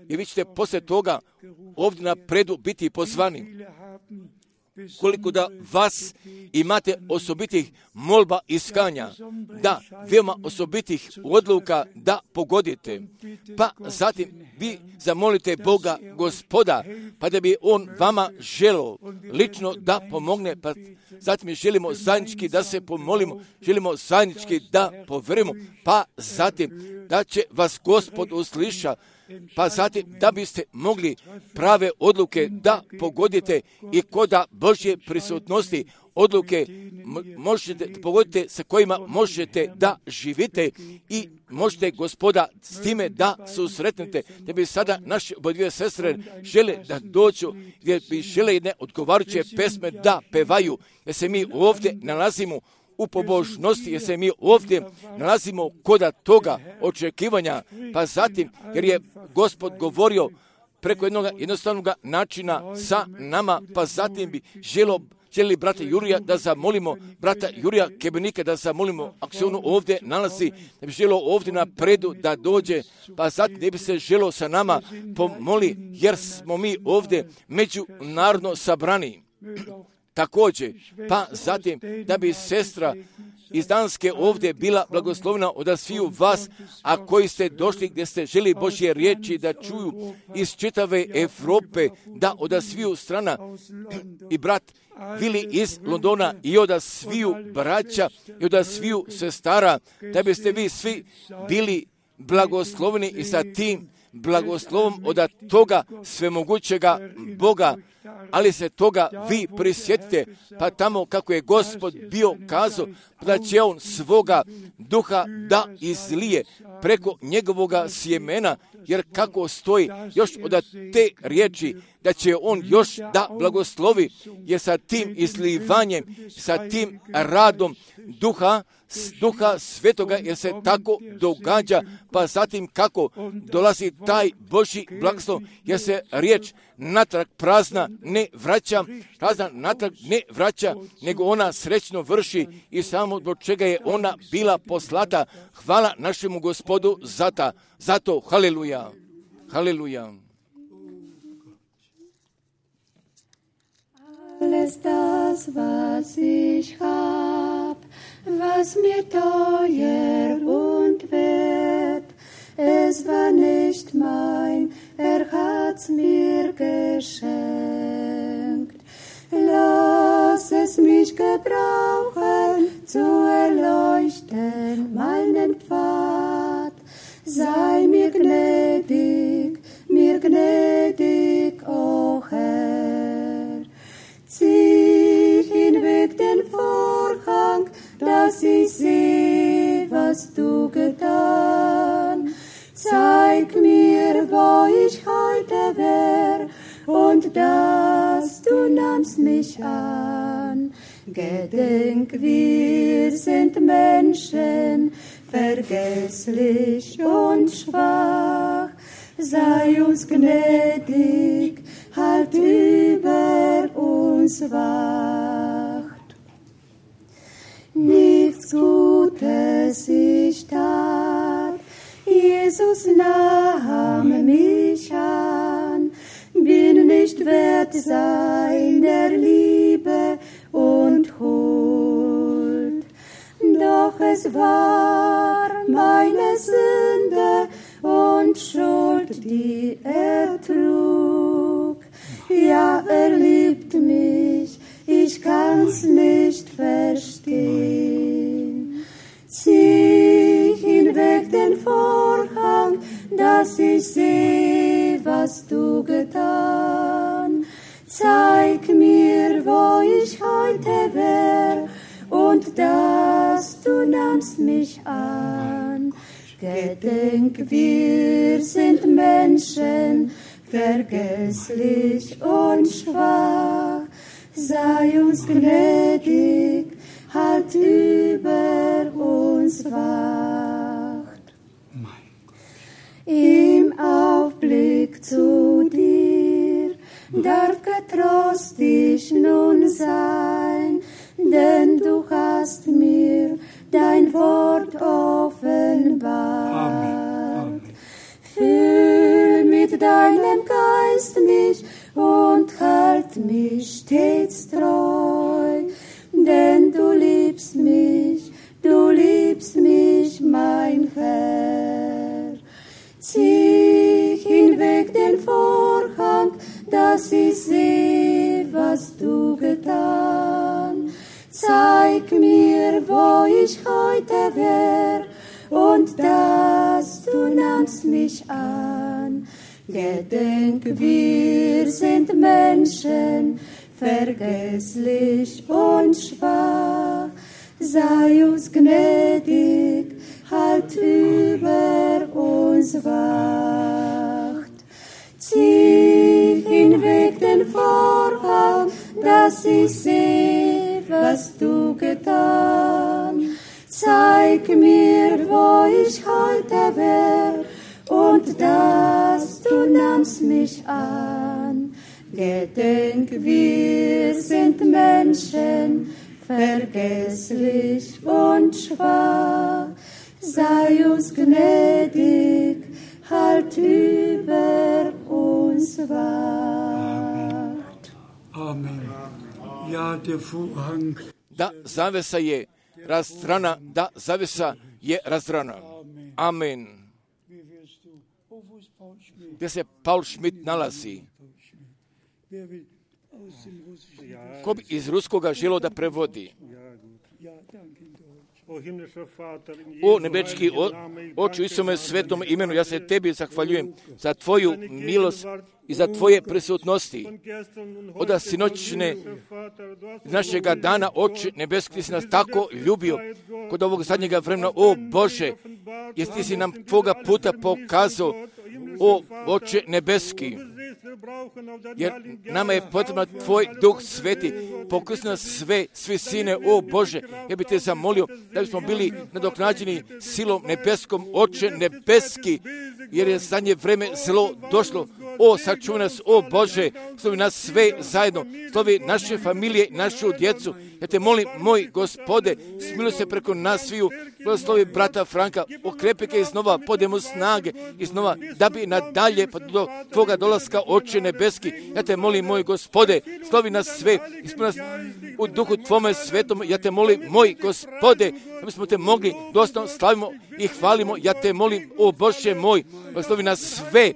I vi ćete poslije toga ovdje na predu biti pozvani. Koliko da vas imate osobitih molba iskanja, da veoma osobitih odluka da pogodite, pa zatim vi zamolite Boga Gospoda, pa da bi On vama želio lično da pomogne, pa zatim želimo zajednički da se pomolimo, želimo zajednički da poverimo, pa zatim da će vas Gospod usliša, pa zatim da biste mogli prave odluke da pogodite i koda Božje prisutnosti, odluke možete pogoditi sa kojima možete da živite i možete Gospoda s time da susretnete. Da bi sada naše obodvije sestre žele da dođu, gdje bi žele jedne odgovarajuće pesme da pevaju, jer se mi ovdje nalazimo u pobožnosti, jer se mi ovdje nalazimo koda toga očekivanja, pa zatim jer je Gospod govorio preko jednog jednostavnog načina sa nama, pa zatim bi želo želi brata Jurija da zamolimo, brata Jurija Kebenika da zamolimo, ako se ono ovdje nalazi, da bi želo ovdje napredu da dođe, pa zatim ne bi se želo sa nama pomoli, jer smo mi ovdje međunarodno sabrani. Također, pa zatim da bi sestra iz Danske ovdje bila blagoslovna od sviju vas, a koji ste došli gdje ste želi Božje riječi da čuju iz čitave Evrope, da od sviju strana i brat Vili iz Londona i od sviju braća i od sviju sestara, da biste vi svi bili blagoslovni i sa tim blagoslovom od toga svemogućega Boga, ali se toga vi prisjetite, pa tamo kako je Gospod bio kazao da će on svoga duha da izlije preko njegovoga sjemena, jer kako stoji još od te riječi da će on još da blagoslovi, jer sa tim izlivanjem, sa tim radom duha, duha svetoga, jer se tako događa, pa zatim kako dolazi taj Božji blagoslov, jer se riječ natrag prazna ne vraća, prazna natrag ne vraća, nego ona srećno vrši i samo zbog čega je ona bila poslata. Hvala našemu Gospodu za ta, zato, haleluja, haleluja. Alles das, was ich hab, was mir teuer und wert, es war nicht mein, er hat's mir geschenkt. Lass es mich gebrauchen, zu erleuchten meinen Pfad. Sei mir gnädig, mir gnädig, o Herr. Zieh hinweg den Vorhang, dass ich seh, was du getan. Zeig mir, wo ich heute wär, und dass du nahmst mich an. Gedenk, wir sind Menschen, vergesslich und schwach. Sei uns gnädig, halt über uns wacht. Nichts Gutes ich tat, Jesus nahm mich an, bin nicht wert seiner Liebe und Huld. Doch es war meine Sünde und Schuld, die er trug. Ja, er liebt mich, ich kann's nicht verstehen. Zieh hinweg den Vorhang, dass ich seh, was du getan. Zeig mir, wo ich heute wär, und dass du nahmst mich an. Gedenk, wir sind Menschen, vergesslich und schwach. Sei uns gnädig, halt über uns wacht. Im Aufblick zu dir darf getrost ich nun sein, denn du hast mir dein Wort offenbart. Amen. Füll mit deinem Geist mich und halt mich stets treu, denn du liebst mich, du liebst mich, mein Herr. Zieh hinweg den Vorhang, dass ich seh, was du getan. Zeig mir, wo ich heute wär, und dass du nahmst mich an. Gedenk, wir sind Menschen, vergesslich und schwach. Sei uns gnädig, halt über uns wacht. Zieh hinweg den Vorhang, dass ich sehe, was du getan. Zeig mir, wo ich heute wär, und dass du nahmst mich an. Gedenk, wir sind Menschen, vergesslich und schwach. Sei uns gnädig, halt über uns wacht. Amen. Ja, der Vorhang. Da zavesa je razdrana, da zavesa je razdrana. Amen. Gdje se Paul Schmidt nalazi? Ko bi iz ruskoga želo da prevodi? O nebečki oču u Isome svetom imenu, ja se tebi zahvaljujem za tvoju milost i za tvoje prisutnosti. Oda sinoćne našega dana, oče nebeski, si nas tako ljubio kod ovog zadnjega vremena. O Bože, jer ti si nam tvoga puta pokazao, o oče nebeski, jer nama je potreban tvoj duh sveti, pokrsni nas sve, svi sine, o Bože, ja bih te zamolio da bismo bili nadoknađeni silom nebeskom, oče nebeski, jer je zadnje vreme zlo došlo. O, sačuvaj nas, o Bože, slovi nas sve zajedno, slovi naše familije, našu djecu. Ja te molim, moj Gospode, smiluj se preko nas sviju, blagoslovi brata Franka, okrepi ga iznova, podaj mu snage iznova, da bi nadalje pa do tvoga dolaska, oče nebeski. Ja te molim, moj Gospode, slovi nas sve, ispuni nas u duhu tvome svetom. Ja te molim, moj Gospode, da bismo te mogli dostojno slavimo i hvalimo. Ja te molim, o Bože moj, blagoslovi nas sve.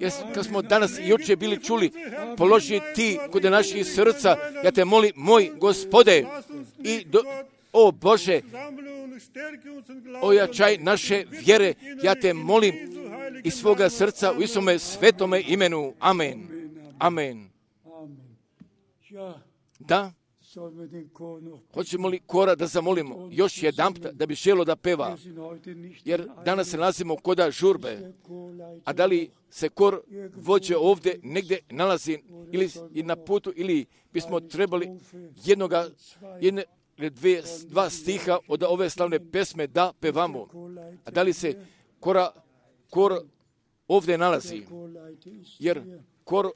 Jer kad smo danas i jučer bili čuli, položi ti kod naših srca, ja te molim, moj Gospode, i do, o Bože, ojačaj naše vjere, ja te molim iz svoga srca u Isome svetome imenu. Amen. Amen. Da? Hoćemo li kora da zamolimo još jedan put da bi želo da peva, jer danas se nalazimo koda žurbe, a da li se kor vođe ovdje negdje nalazi ili na putu, ili bismo trebali jednoga, jedne, dve, dva stiha od ove slavne pesme da pevamo, a da li se kora, kor ovdje nalazi, jer kor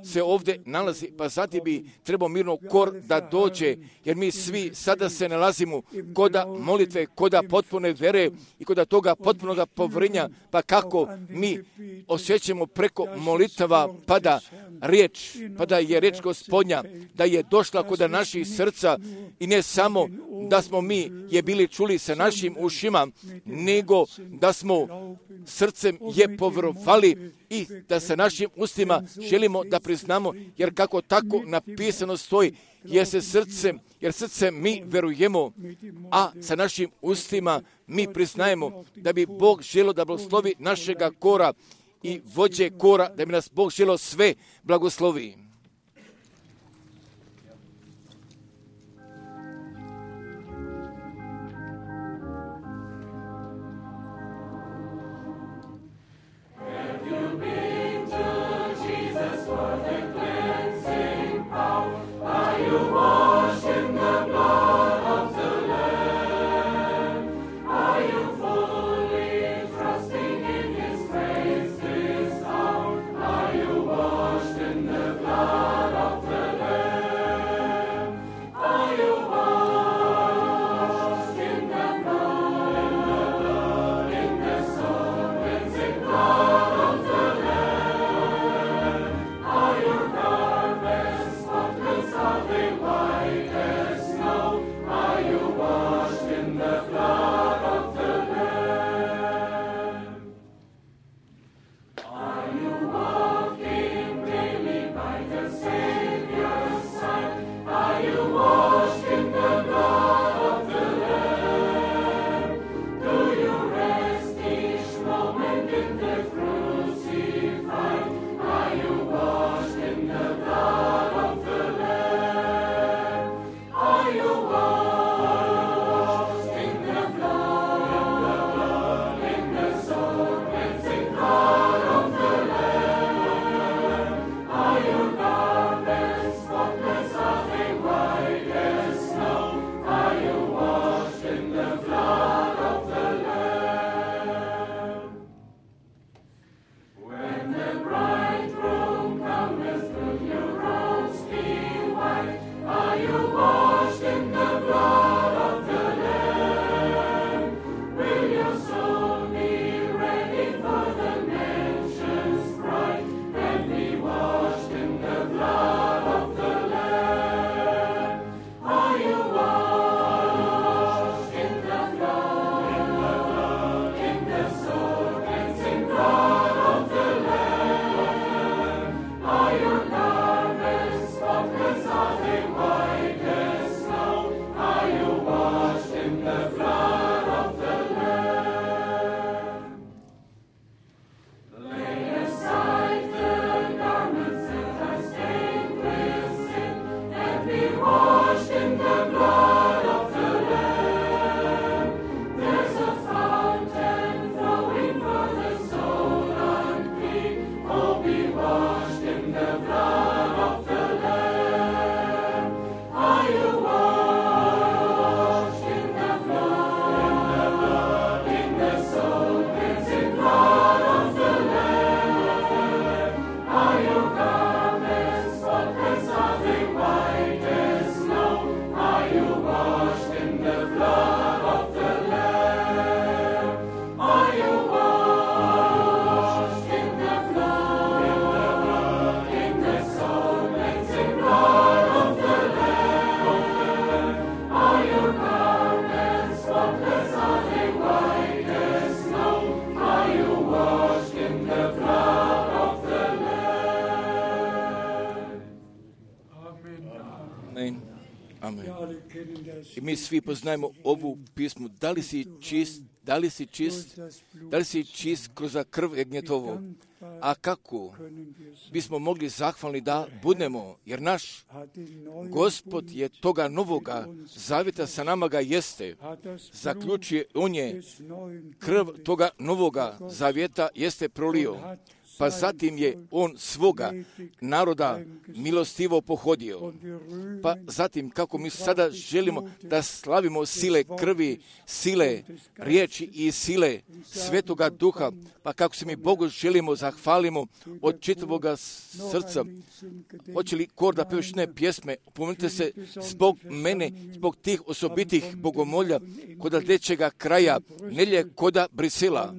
se ovdje nalazi, pa zatim bi trebao mirno kor da dođe, jer mi svi sada se nalazimo koda molitve, koda potpune vere i koda toga potpunoga povrenja, pa kako mi osjećamo preko molitava, pa da riječ, pa da je riječ Gospodnja, da je došla koda naših srca, i ne samo da smo mi je bili čuli sa našim ušima, nego da smo srcem je povjerovali i da sa našim ustima želimo da priznamo, jer kako tako napisano stoji, jer se srcem, jer srcem mi verujemo, a sa našim ustima mi priznajemo da bi Bog želio da blagoslovi našega kora i vođe kora, da bi nas Bog želio sve blagoslovi. Are you washed in the blood? I mi svi poznajemo ovu pismu. Da li si čist, da li si čist, da li si čist kroz krv jagnjetovu? A kako bismo mogli zahvalni da budemo, jer naš Gospod je toga novoga zavjeta sa nama ga jeste. Zaključuje, on je krv toga novoga zavjeta jeste prolio. Pa zatim je on svoga naroda milostivo pohodio. Pa zatim, kako mi sada želimo da slavimo sile krvi, sile riječi i sile Svetoga Duha, pa kako se mi Bogu želimo zahvalimo od čitavoga srca. Hoće li kor da peveš ne pjesme? Pomenite se zbog mene, zbog tih osobitih bogomolja koda dečega kraja, nelje koda Brisela.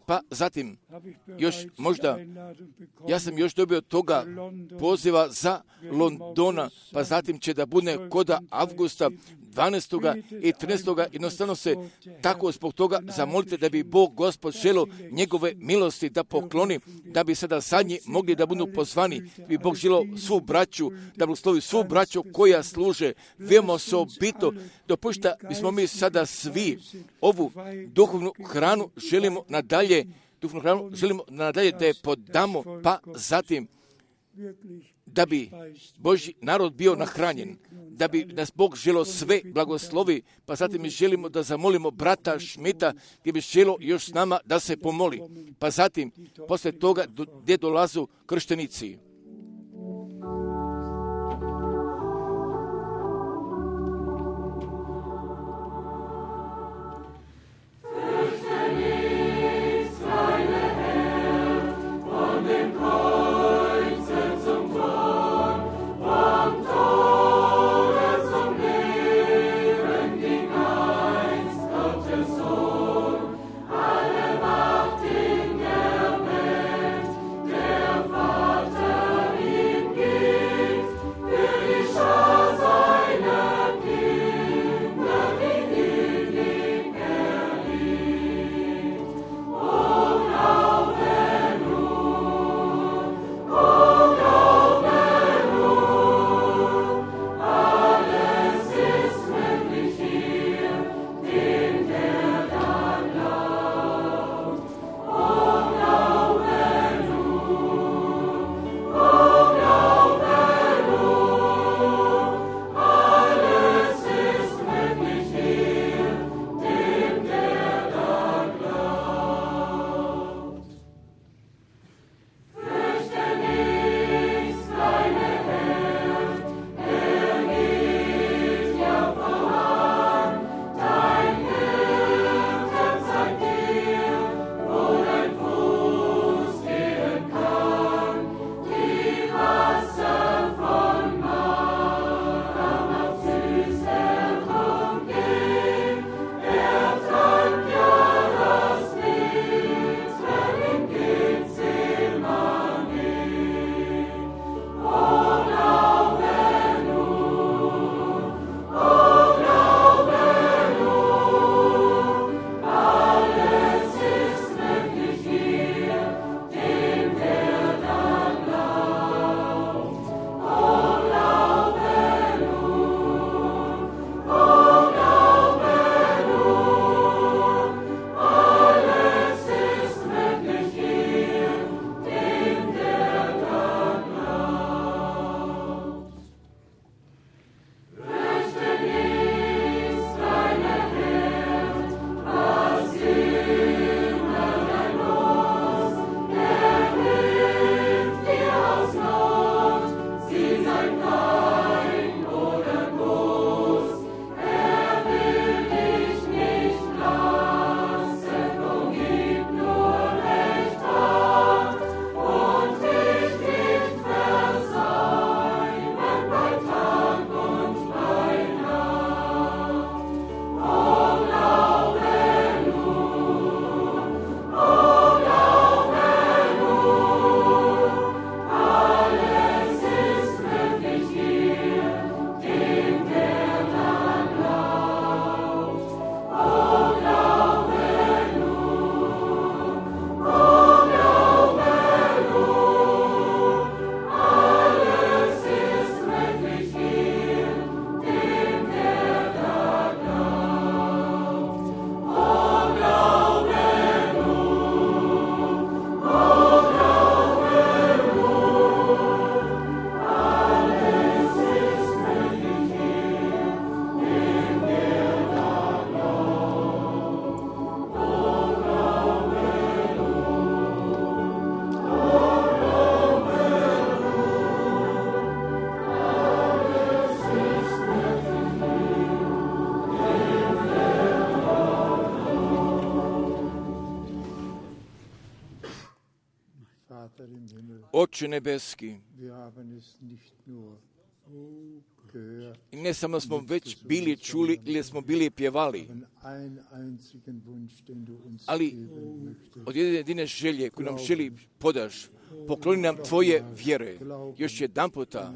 Pa zatim, još možda, ja sam još dobio toga poziva za Londona, pa zatim će da bude koda avgusta dvanaestog i trinaestog Jednostavno se tako zbog toga zamolite da bi Bog Gospod želio njegove milosti da pokloni, da bi sada zadnji mogli da budu pozvani, da bi Bog želio svu braću, da blagoslovi svu braću koja služe veoma osobito. Dopušta bismo mi sada svi ovu duhovnu hranu želimo nadalje, duhovnu hranu želimo nadalje da je podamo, pa zatim da bi Božji narod bio nahranjen, da bi nas Bog želio sve blagoslovi, pa zatim mi želimo da zamolimo brata Šmita gdje bi želio još s nama da se pomoli. Pa zatim, posle toga gdje dolazu krštenici. Vater Oče nebeski, i ne samo smo već bili čuli ili smo bili pjevali, ali od jedne jedine želje koju nam želi podaš, pokloni nam tvoje vjere. Još jedan puta,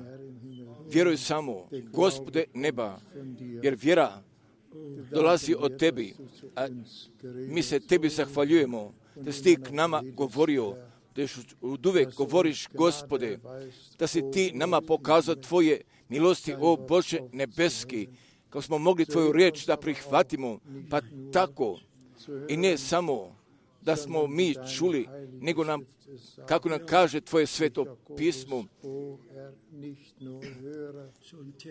vjeruj samo, Gospode neba, jer vjera dolazi od tebi, a mi se tebi zahvaljujemo da si ti k nama govorio, da još od uvek govoriš, Gospode, da si ti nama pokazao tvoje milosti, o Bože nebeski, kako smo mogli tvoju riječ da prihvatimo, pa tako i ne samo da smo mi čuli, nego nam, kako nam kaže tvoje sveto pismo,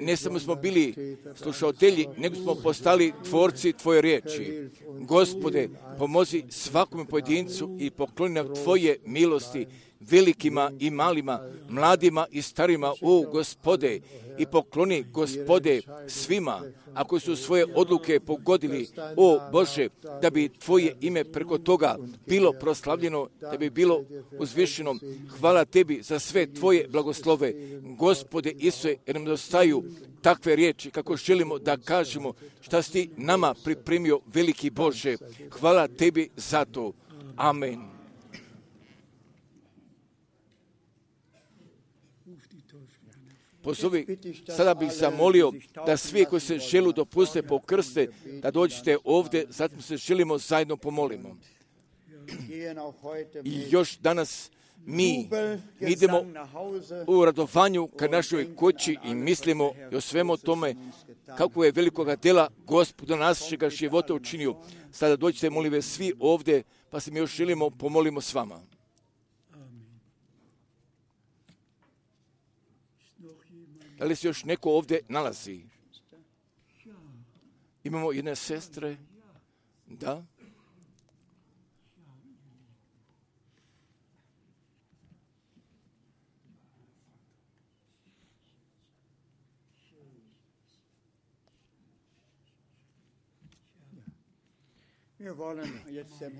ne samo smo bili slušatelji, nego smo postali tvorci tvoje riječi. Gospode, pomozi svakome pojedincu i pokloni nam tvoje milosti, velikima i malima, mladima i starima, o Gospode, i pokloni, Gospode, svima, ako su svoje odluke pogodili, o Bože, da bi tvoje ime preko toga bilo proslavljeno, da bi bilo uzvišeno. Hvala tebi za sve tvoje blagoslove, Gospode Isuse, jer nam dostaju takve riječi kako želimo da kažemo šta si ti nama pripremio, veliki Bože. Hvala tebi za to. Amen. Pozovi, sada bih zamolio da svi koji se želu dopuste pokrste, da dođete ovdje, zatim se želimo zajedno pomolimo. I još danas mi idemo u radovanju ka našoj kući i mislimo i o svemu tome kako je velikoga dela Gospoda našega života učinio. Sada dođite, molim vas, svi ovdje, pa se mi još želimo pomolimo s vama. Da li se još neko ovdje nalazi? Imamo jedne sestre? Da?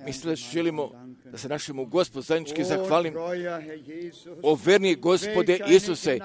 Mi sada želimo da se našemu Gospodu zajednički zahvalim. O verni Gospode Isuse,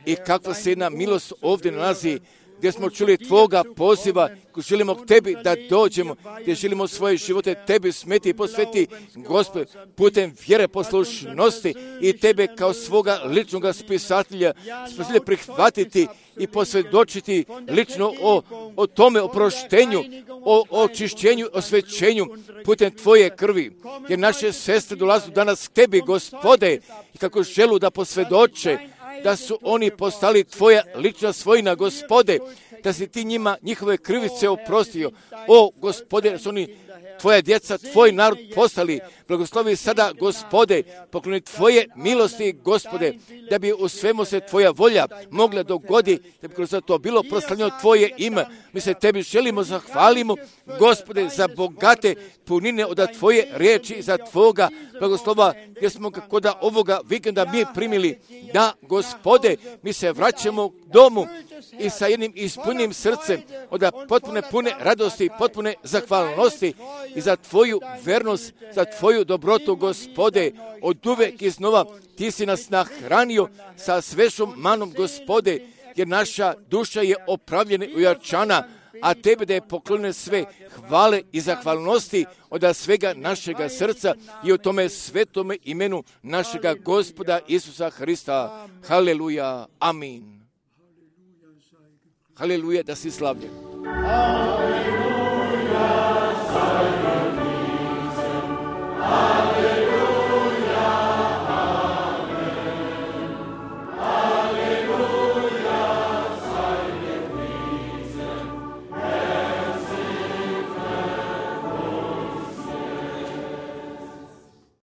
i kakva se jedna milost ovdje nalazi, gdje smo čuli tvoga poziva, ko želimo k tebi da dođemo, gdje želimo svoje živote tebi smeti i posveti, Gospode, putem vjere poslušnosti i tebe kao svoga ličnog spisatelja smo želi prihvatiti i posvjedočiti lično o, o tome oproštenju, o očišćenju, osvećenju putem tvoje krvi. Jer naše sestre dolaze danas k tebi, Gospode, i kako želu da posvjedoče da su oni postali tvoja lična svojina, Gospode, da si ti njima njihove krivice oprostio. O, Gospode, da su oni tvoja djeca, tvoj narod postali. Blagoslovi sada, Gospode, pokloni tvoje milosti, Gospode, da bi u svemu se tvoja volja mogla dogodi, da bi kroz to bilo proslavljeno tvoje ime. Mi se tebi želimo, zahvalimo, Gospode, za bogate punine od tvoje riječi, za tvoga blagoslova, gdje smo kako da ovoga vikenda mi primili. Da, Gospode, mi se vraćamo domu i sa jednim ispunjenim srcem od potpune pune radosti, potpune zahvalnosti i za tvoju vernost, za tvoju dobrotu, Gospode, od uvek iznova ti si nas nahranio sa svežom manom, Gospode, jer naša duša je opravljena i ojačana, a tebe da je poklonjeno sve hvale i zahvalnosti od svega našega srca i o tome svetome imenu našega Gospoda Isusa Hrista. Haleluja. Amin. Haleluja, da si slavljen. Haleluja,